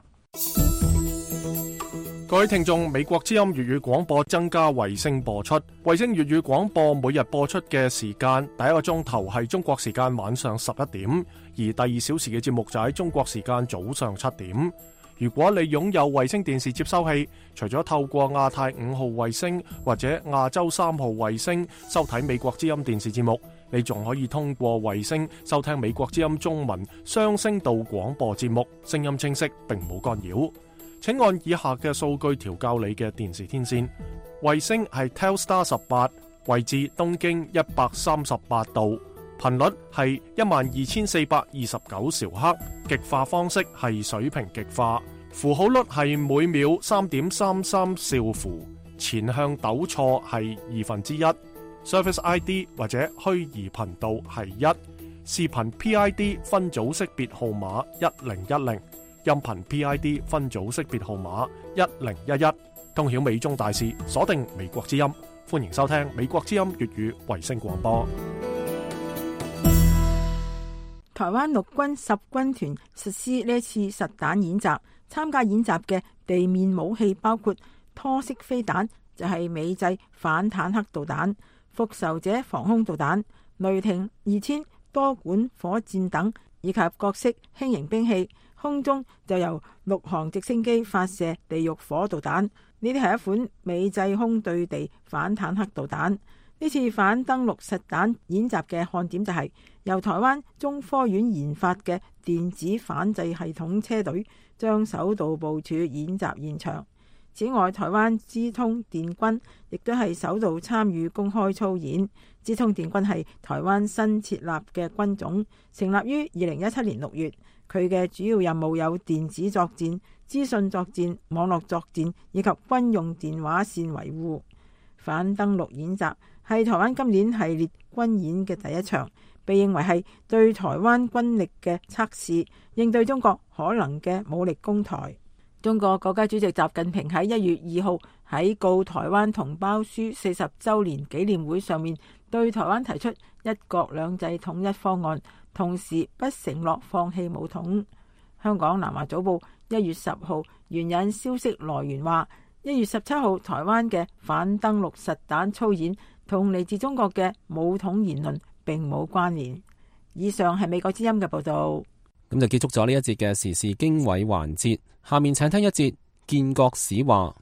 各位聽眾，美國之音粵語廣播增加衛星播出，衛星粵語廣播每日播出嘅時間，第一個鐘頭係中國時間晚上十一點，而第二小時嘅節目就喺中國時間早上七點。如果你擁有衛星電視接收器，除咗透過亞太五號衛星或者亞洲三號衛星收睇美國之音電視節目，你仲可以通過衛星收聽美國之音中文雙聲道廣播節目，聲音清晰並冇干擾。請按以下嘅數據調校你嘅電視天線。衛星係 Telstar 十八，位置東經一百三十八度，頻率係一萬二千四百二十九兆赫，極化方式係水平極化，符號率係每秒三點三三兆符，前向抖錯係二分之一，Service I D 或者虛擬頻道係一，視頻 P I D 分組識別號碼一零一零，音頻 P I D 分組識別號碼一零一一，通曉美中大事，鎖定美國之音，歡迎收聽美國之音粵語衛星廣播。台灣陸軍十軍團實施呢次實彈演習，參加演習嘅地面武器包括拖式飛彈，就係、是、美製反坦克導彈、復仇者防空導彈、雷霆二千多管火箭等，以及各式輕型兵器。空中就由陸航直升機發射地獄火導彈，呢啲係一款美製空對地反坦克導彈。呢次反登陸實彈演習嘅看點就係由台灣中科院研發嘅電子反制系統車隊將首度部署演習現場。此外，台灣資通電軍亦都係首度參與公開操演。資通電軍係台灣新設立嘅軍種，成立於二零一七年六月。佢嘅主要任務有電子作戰、資訊作戰、網絡作戰以及軍用電話線維護。反登陸演習係台灣今年系列軍演嘅第一場，被認為係對台灣軍力嘅測試，應對中國可能嘅武力攻台。中國國家主席習近平喺一月二號喺告台灣同胞書四十週年紀念會上面，對台灣提出一國兩制統一方案，同時不承諾放棄武統。香港南華早報一月十號援引消息來源話，一月十七號台灣嘅反登陸實彈操演同嚟自中國嘅武統言論並冇關聯。以上係美國之音嘅報道。咁就結束咗呢一節嘅時事經緯環節，下面請聽一節建國史話。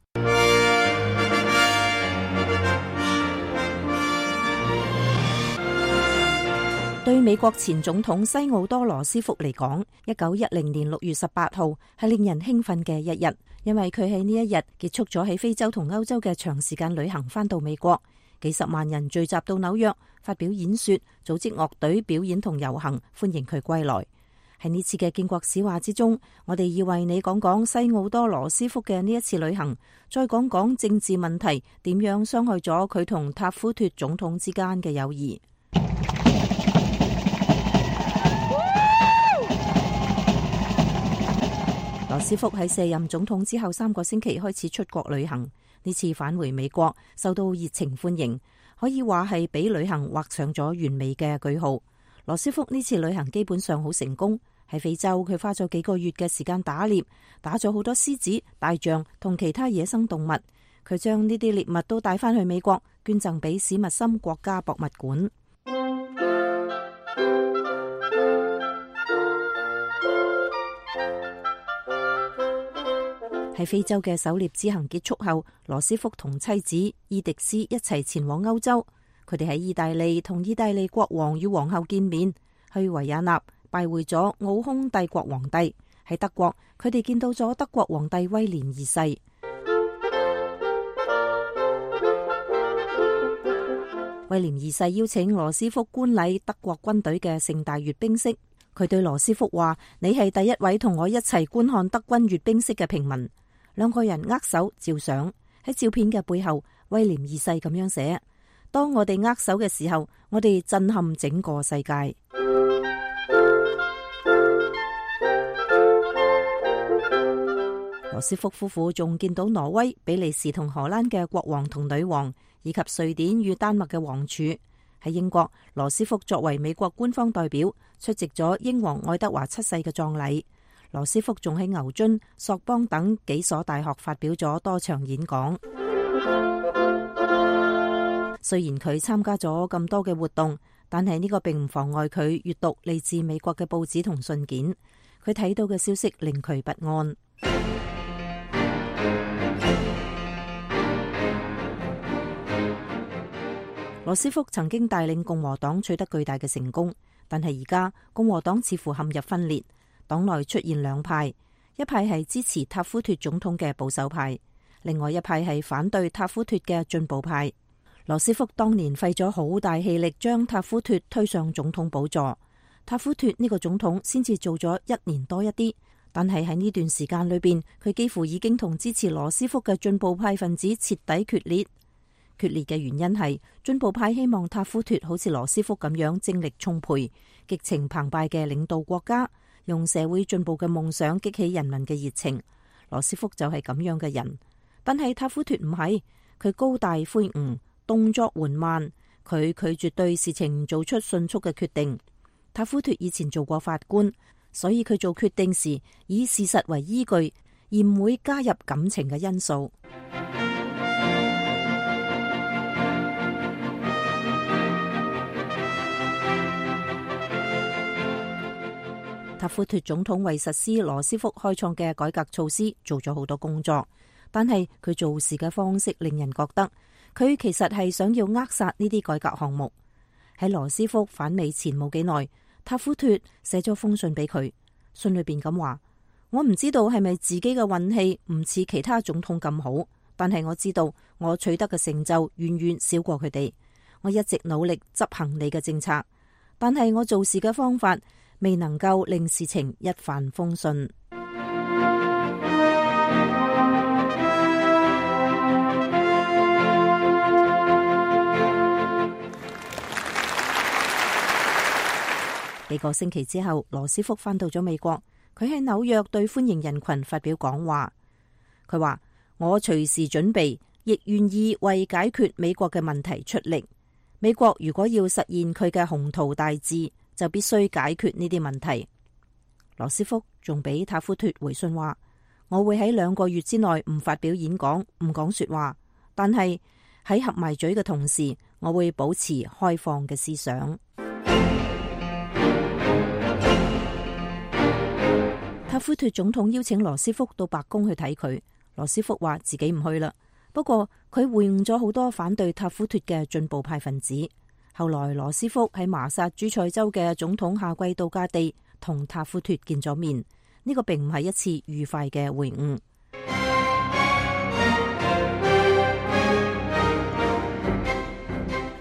對美國前總統西奧多羅斯福嚟講，一九一零年六月十八號係令人興奮嘅一日，因為佢喺呢一日結束咗喺非洲同歐洲嘅長時間旅行，返到美國，幾十萬人聚集到紐約發表演說，組織樂隊表演同遊行，歡迎佢歸來。喺呢次嘅建國史話之中，我哋要為你講講西奧多羅斯福嘅呢一次旅行，再講講政治問題點樣傷害咗佢同塔夫脫總統之間嘅友誼。羅斯福喺卸任總統之後三個星期開始出國旅行，呢次返回美國受到熱情歡迎，可以話係俾旅行畫上咗完美嘅句號。羅斯福呢次旅行基本上好成功，喺非洲佢花咗幾個月嘅時間打獵，打咗好多獅子、大象同其他野生動物，佢將呢啲獵物都帶翻去美國，捐贈俾史密森國家博物館。喺非洲嘅狩獵之行結束後，羅斯福同妻子伊迪絲一齊前往歐洲。佢哋喺意大利同意大利國王與皇后見面，去維也納拜會咗奧匈帝國皇帝。喺德國，佢哋見到咗德國皇帝威廉二世。威廉二世邀請羅斯福觀禮德國軍隊嘅盛大閱兵式。佢對羅斯福話：你係第一位同我一齊觀看德軍閱兵式嘅平民。兩個人握手照相，喺照片嘅背後，威廉二世咁樣寫：當我哋握手嘅時候，我哋震撼整個世界。羅斯福夫婦仲見到挪威、比利時同荷蘭嘅國王同女王，以及瑞典與丹麥嘅王儲。喺英國，羅斯福作為美國官方代表出席咗英皇愛德華七世嘅葬禮。羅斯福仲喺牛津、索邦等幾所大學發表咗多場演講。雖然佢參加咗咁多嘅活動，但係呢個並唔妨礙佢閱讀嚟自美國嘅報紙同信件。佢睇到嘅消息令佢不安。羅斯福曾經帶領共和黨取得巨大嘅成功，但係而家共和黨似乎陷入分裂，黨內出現兩派，一派係支持塔夫脫總統嘅保守派，另外一派係反對塔夫脫嘅進步派。羅斯福當年費咗好大氣力將塔夫脫推上總統寶座，塔夫脫呢個總統先至做咗一年多一啲，但係喺呢段時間裏邊，佢幾乎已經同支持羅斯福嘅進步派分子徹底決裂。決裂嘅原因係進步派希望塔夫脫好似羅斯福咁樣精力充沛、激情澎湃嘅領導國家，用社會進步嘅夢想激起人民嘅熱情。羅斯福就係咁樣嘅人，但係塔夫脫唔係，佢高大魁梧，動作緩慢，佢拒絕對事情做出迅速嘅決定。塔夫脫以前做過法官，所以佢做決定時以事實為依據，而唔會加入感情嘅因素。塔夫脫總統為實施羅斯福開創嘅改革措施做咗好多工作，但係佢做事嘅方式令人覺得佢其實係想要扼殺呢啲改革項目。喺羅斯福返美前冇幾耐，塔夫脫寫咗封信俾佢，信裏邊咁話：我唔知道係咪自己嘅運氣唔似其他總統咁好，但係我知道我取得嘅成就遠遠少過佢哋。我一直努力執行你嘅政策，但係我做事嘅方法未能夠令事情一帆風順。幾個星期之後，羅斯福返到咗美國，佢喺紐約對歡迎人群發表講話。佢話：我隨時準備，亦願意為解決美國嘅問題出力。美國如果要實現佢嘅宏圖大志，就必須解決呢啲問題。羅斯福仲俾塔夫脫回信話：我會喺兩個月之內唔發表演講，唔講說話，但係喺合埋嘴嘅同時，我會保持開放嘅思想。塔夫脫總統邀請羅斯福到白宮去睇佢，羅斯福話自己唔去啦。不過佢會晤咗好多反對塔夫脫嘅進步派分子。後來羅斯福喺麻薩諸塞州嘅總統夏季度假地同塔夫脫見咗面，呢個並唔係一次愉快嘅會晤。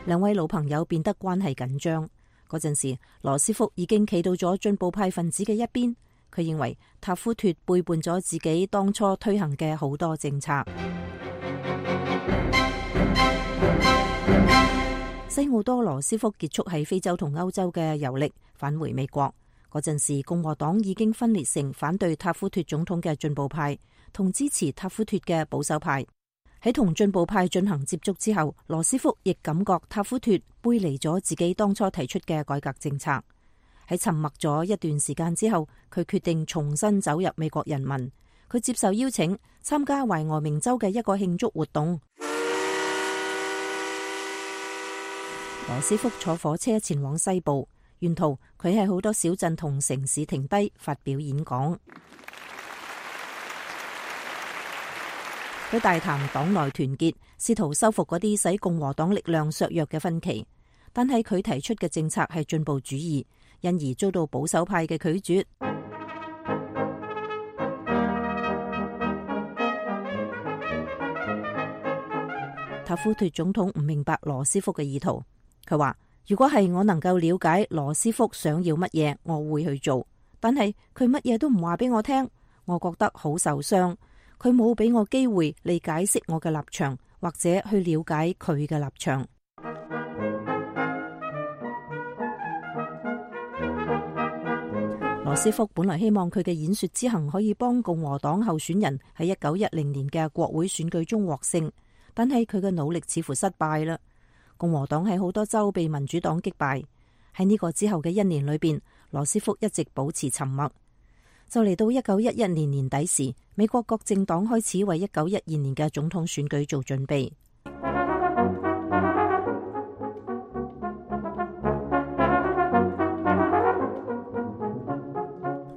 兩位老朋友變得關係緊張。嗰陣時，羅斯福已經企到咗進步派分子嘅一邊，佢認為塔夫脫背叛咗自己當初推行嘅好多政策。西奧多羅斯福結束喺非洲同歐洲嘅遊歷，返回美國。嗰陣時，共和黨已經分裂成反對塔夫脫總統嘅進步派同支持塔夫脫嘅保守派。喺同進步派進行接觸之後，羅斯福亦感覺塔夫脫背離咗自己當初提出嘅改革政策。喺沉默咗一段時間之後，佢決定重新走入美國人民。佢接受邀請參加懷俄明州嘅一個慶祝活動。羅斯福坐火車前往西部，沿途佢喺好多小鎮同城市停低發表演講。佢大談黨內團結，試圖修復嗰啲使共和黨力量削弱嘅分歧。但係佢提出嘅政策係進步主義，因而遭到保守派嘅拒絕。塔夫脫總統唔明白羅斯福嘅意圖。佢話：如果係我能夠了解羅斯福想要乜嘢，我會去做。但係佢乜嘢都唔話俾我聽，我覺得好受傷。佢冇俾我機會嚟解釋我嘅立場，或者去了解佢嘅立場。羅斯福本來希望佢嘅演說之行可以幫共和黨候選人喺一九一零年嘅國會選舉中獲勝，但係佢嘅努力似乎失敗啦。共和黨喺好多州被民主黨擊敗。喺呢個之後嘅一年裏邊，羅斯福一直保持沉默。就嚟到一九一一年年底時，美國各政黨開始為一九一二年嘅總統選舉做準備。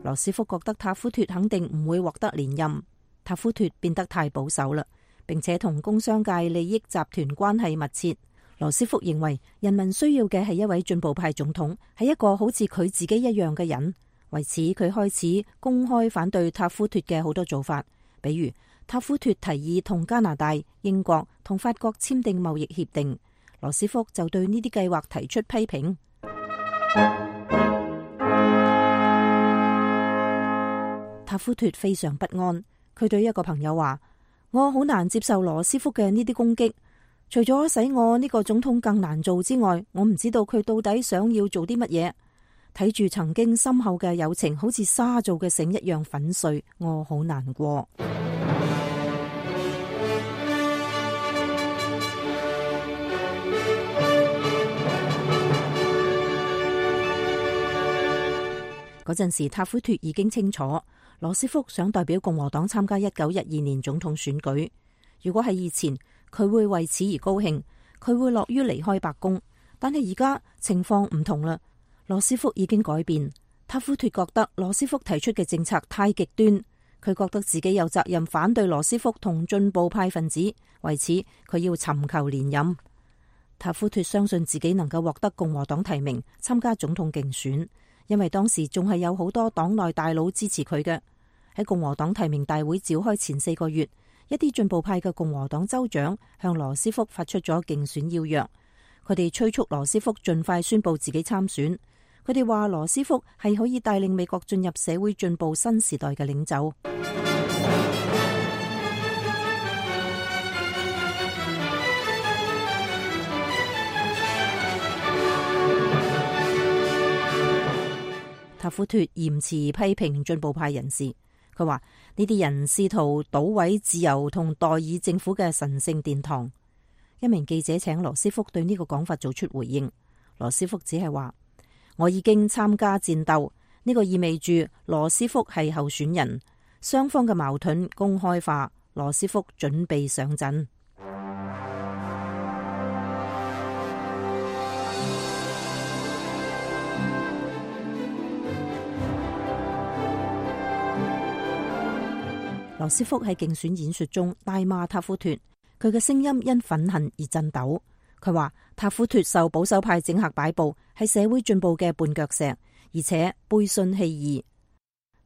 羅羅斯福覺得塔夫脫肯定唔會獲得連任。塔夫脫變得太保守啦，並且同工商界利益集團關係密切。羅斯福認為人民需要嘅係一位進步派總統，係一個好似佢自己一樣嘅人。為此，佢開始公開反對塔夫脫嘅好多做法，比如塔夫脫提議同加拿大、英國同法國簽訂貿易協定，羅斯福就對呢啲計劃提出批評。塔夫脫非常不安，佢對一個朋友話：我好難接受羅斯福嘅呢啲攻擊，除咗使我呢個總統更難做之外，我唔知道佢到底想要做啲乜嘢。睇住曾經深厚嘅友情好似沙做嘅繩一樣粉碎，我好難過。嗰陣時，塔夫脫已經清楚羅斯福想代表共和黨參加一九一二年總統選舉。如果係以前，佢會為此而高興，佢會樂於離開白宮。但係而家情況唔同啦，羅斯福已經改變。塔夫脫覺得羅斯福提出嘅政策太極端，佢覺得自己有責任反對羅斯福同進步派分子，為此佢要尋求連任。塔夫脫相信自己能夠獲得共和黨提名參加總統競選，因為當時仲係有好多黨內大佬支持佢嘅。喺共和黨提名大會召開前四個月，一啲進步派嘅共和黨州長向羅斯福發出咗競選邀約，佢哋催促羅斯福盡快宣布自己參選。佢哋話羅斯福係可以帶領美國進入社會進步新時代嘅領袖。塔夫脫嚴詞批評進步派人士，佢話呢啲人試圖搗毀自由同代議政府嘅神聖殿堂。一名記者請羅斯福對呢個講法做出回應，羅斯福只係話：我已經參加戰鬥，呢個意味住羅斯福係候選人，雙方嘅矛盾公開化，羅斯福準備上陣。羅斯福喺競選演說中大罵塔夫脫，佢嘅聲音因憤恨而震抖。佢話塔夫脫受保守派政客擺布，係社會進步嘅絆腳石，而且背信棄義。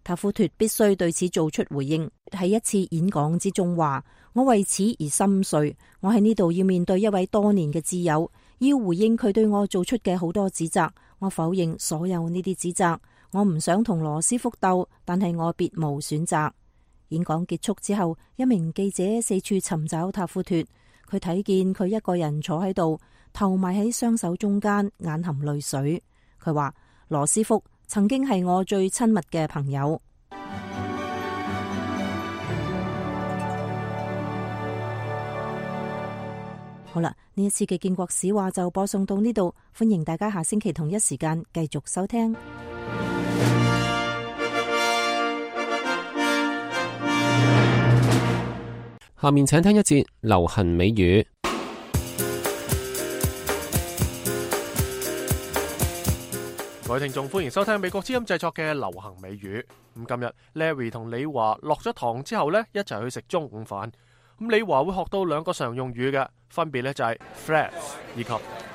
塔夫脫必須對此做出回應。喺一次演講之中話：我為此而心碎，我喺呢度要面對一位多年嘅摯友，要回應佢對我做出嘅好多指責。我否認所有呢啲指責，我唔想同羅斯福鬥，但係我別無選擇。演講結束之後，一名記者四處尋找塔夫脫，佢睇見佢一個人坐喺度，頭埋喺雙手中間，眼含淚水。佢話：羅斯福曾經係我最親密嘅朋友。好啦，呢一次嘅建國史話就播送到呢度，歡迎大家下星期同一時間繼續收聽。下面請聽一節流行美語。各位聽眾，歡迎收聽美國之音製作嘅流行美語。咁今日 Larry 同李華落咗堂之後呢，一齊去食中午飯。咁李華會學到兩個常用語嘅，分別呢就係 threads 以及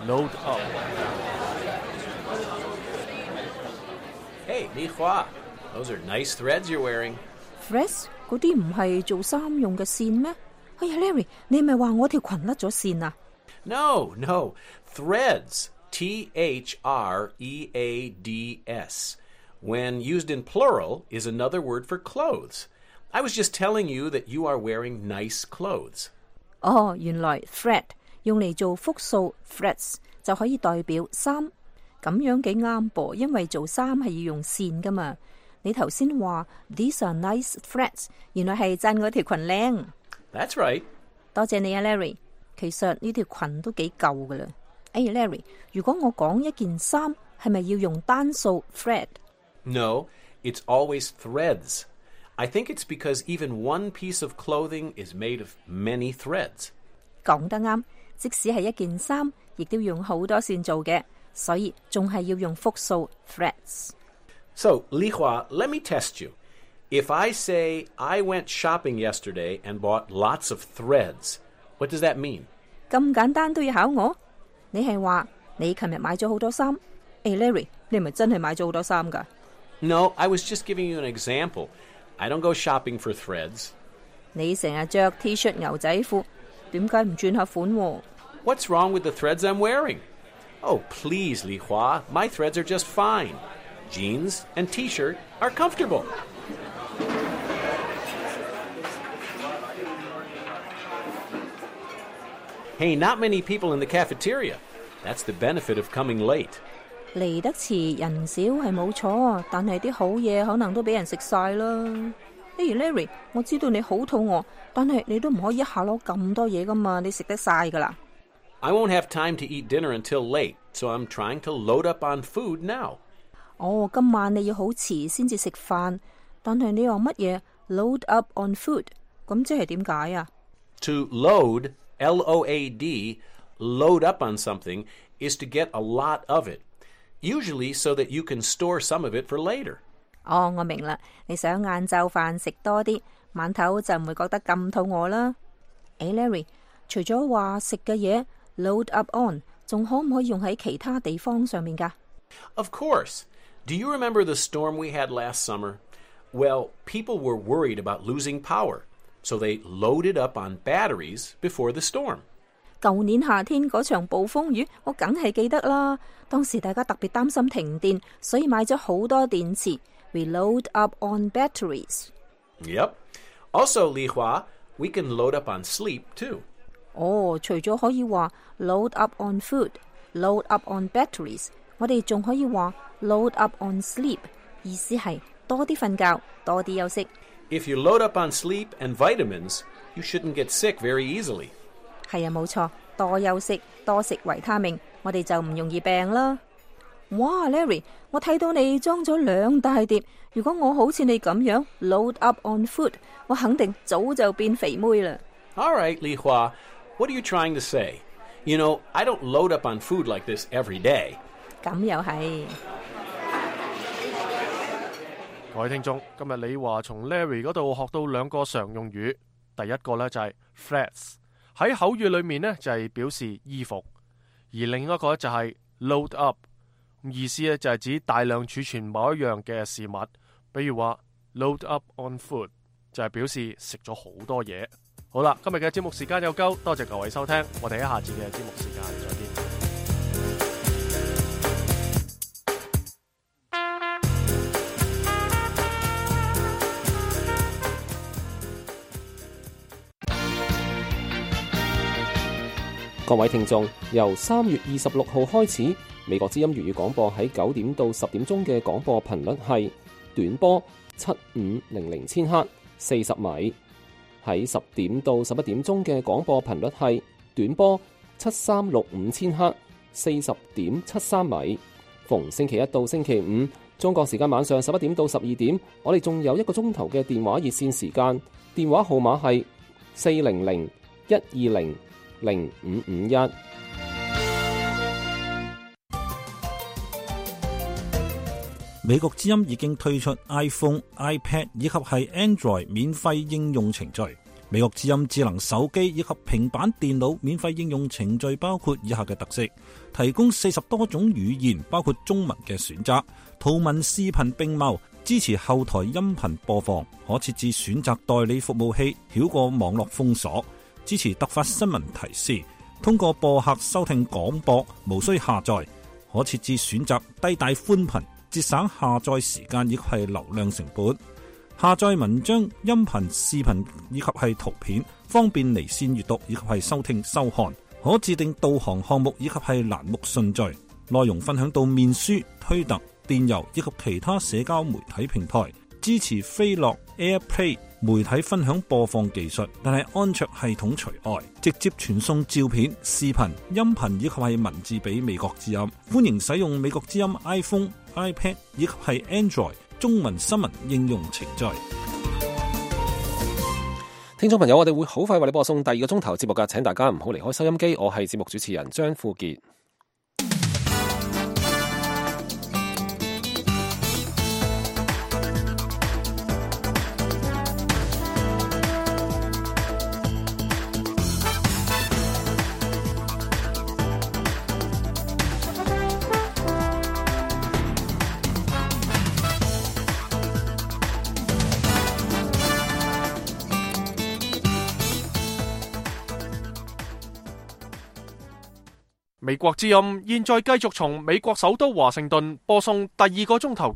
load up。Hey， 李華 those are nice threads you're wearing。threads 嗰啲唔係做衫用嘅線咩？哎呀 ，Larry， 你咪話我條裙甩咗線啊 ？No no threads T H R E A D S when used in plural is another word for clothes. I was just telling you that you are wearing nice clothes. 哦，原來 thread 用嚟做複數 threads 就可以代表衫，咁樣幾啱噃，因為做衫係要用線噶嘛。你頭先話 These are nice threads， 原來係讚我條裙靚。That's right。多謝你啊 ，Larry。其實呢條裙都幾舊噶啦。哎呀 ，Larry， 如果我講一件衫，係咪要用單數 thread？ No, it's always threads. I think it's because even one piece of clothing is made of many threads. 講得啱，即使係一件衫，亦都用好多線做嘅，所以仲係要用複數 threads。So, Li Hua, let me test you. If I say I went shopping yesterday and bought lots of threads, what does that mean? 咁簡單都要考我？你係話你琴日買咗好多衫？誒 Larry， 你係咪真係買咗好多衫㗎？ No, I was just giving you an example. I don't go shopping for threads. 你成日着 T 恤牛仔褲，點解唔轉下款喎？ What's wrong with the threads I'm wearing? Oh, please, Li Hua, my threads are just fine. Jeans and T-shirt are comfortable. Hey, not many people in the cafeteria. That's the benefit of coming late. 嚟得遲人少係冇錯，但係啲好嘢可能都俾人食晒啦。譬如 Larry， 我知道你好肚餓，但係你都唔可以一下攞咁多嘢噶嘛，你食得晒噶啦。I won't have time to eat dinner until late, so I'm trying to load up on food now. 哦，今晚你要好遲先至食飯，但係你話乜嘢 load up on food？ 咁即係點解啊？ To load, L O A D, load up on something is to get a lot of it, usually so that you can store some of it for later. 哦，我明啦，你想晏晝飯食多啲，晚頭就唔會覺得咁肚餓啦。誒 Larry， 除咗話食嘅嘢 load up on， 仲可唔可以用喺其他地方上面㗎？ Of course. Do you remember the storm we had last summer? Well, people were worried about losing power, so they loaded up on batteries before the storm. 舊年夏天嗰場暴風雨，我梗係記得啦。當時大家特別擔心停電，所以買咗好多電池。We load up on batteries. Yep. Also, Li Hua, we can load up on sleep, too. 哦，除咗可以話 load up on food, load up on batteries， 我哋仲可以話 load up on sleep， 意思係多啲瞓覺，多啲休息。If you load up on sleep and vitamins, you shouldn't get sick very easily. 係啊，冇錯，多休息，多食維他命，我哋就唔容易病啦。哇 Larry， 我睇到你裝咗兩大碟，如果我好似你咁樣 load up on food， 我肯定早就變肥妹啦。All right, Li Hua, what are you trying to say? You know, I don't load up on food like this every day. 咁又係。各位聽眾，今日李華從 Larry 嗰度學到兩個常用語，第一個呢就係 threads， 喺口語裏面呢就係表示衣服，而另一個就係 load up， 意思呢就係指大量儲存某一樣嘅事物，比如話 load up on food 就係表示食咗好多嘢。好啦，今日嘅節目時間有夠，多謝各位收聽，我哋喺下次嘅節目時間再見。各位聽眾，由三月二十六號開始，美國之音粵語廣播喺九點到十點鐘嘅廣播頻率係短波七五零零千赫四十米，喺十點到十一點鐘嘅廣播頻率係短波七三六五千赫四十點七三米。逢星期一到星期五，中國時間晚上十一點到十二點，我哋仲有一個鐘頭嘅電話熱線時間，電話號碼係四零零一二零零五五一。美國之音已經推出 iPhone、iPad 以及係 Android 免費應用程序。美國之音智能手機以及平板電腦免費應用程序包括以下嘅特色：提供四十多種語言，包括中文嘅選擇，圖文視頻並茂，支持後台音頻播放，可設置選擇代理服務器，繞過網絡封鎖。支持突發新聞提示，通過播客收聽廣播，無需下載，可設置選擇低帶寬頻，節省下載時間以及係流量成本。下載文章、音頻、視頻以及係圖片，方便離線閱讀以及係收聽收看。可自定導航項目以及係欄目順序，內容分享到面書、推特、電郵以及其他社交媒體平台。支持飛樂 AirPlay 媒體分享播放技術，但係安卓系統除外，直接傳送照片、視頻、音頻以及係文字俾美國之音。歡迎使用美國之音 iPhone、iPad 以及係 Android 中文新聞應用程序。聽眾朋友，我哋會好快為你播送第二個鐘頭節目㗎，請大家唔好離開收音機。我係節目主持人張富傑。美國之音現在繼續從美國首都華盛頓播送第二個鐘頭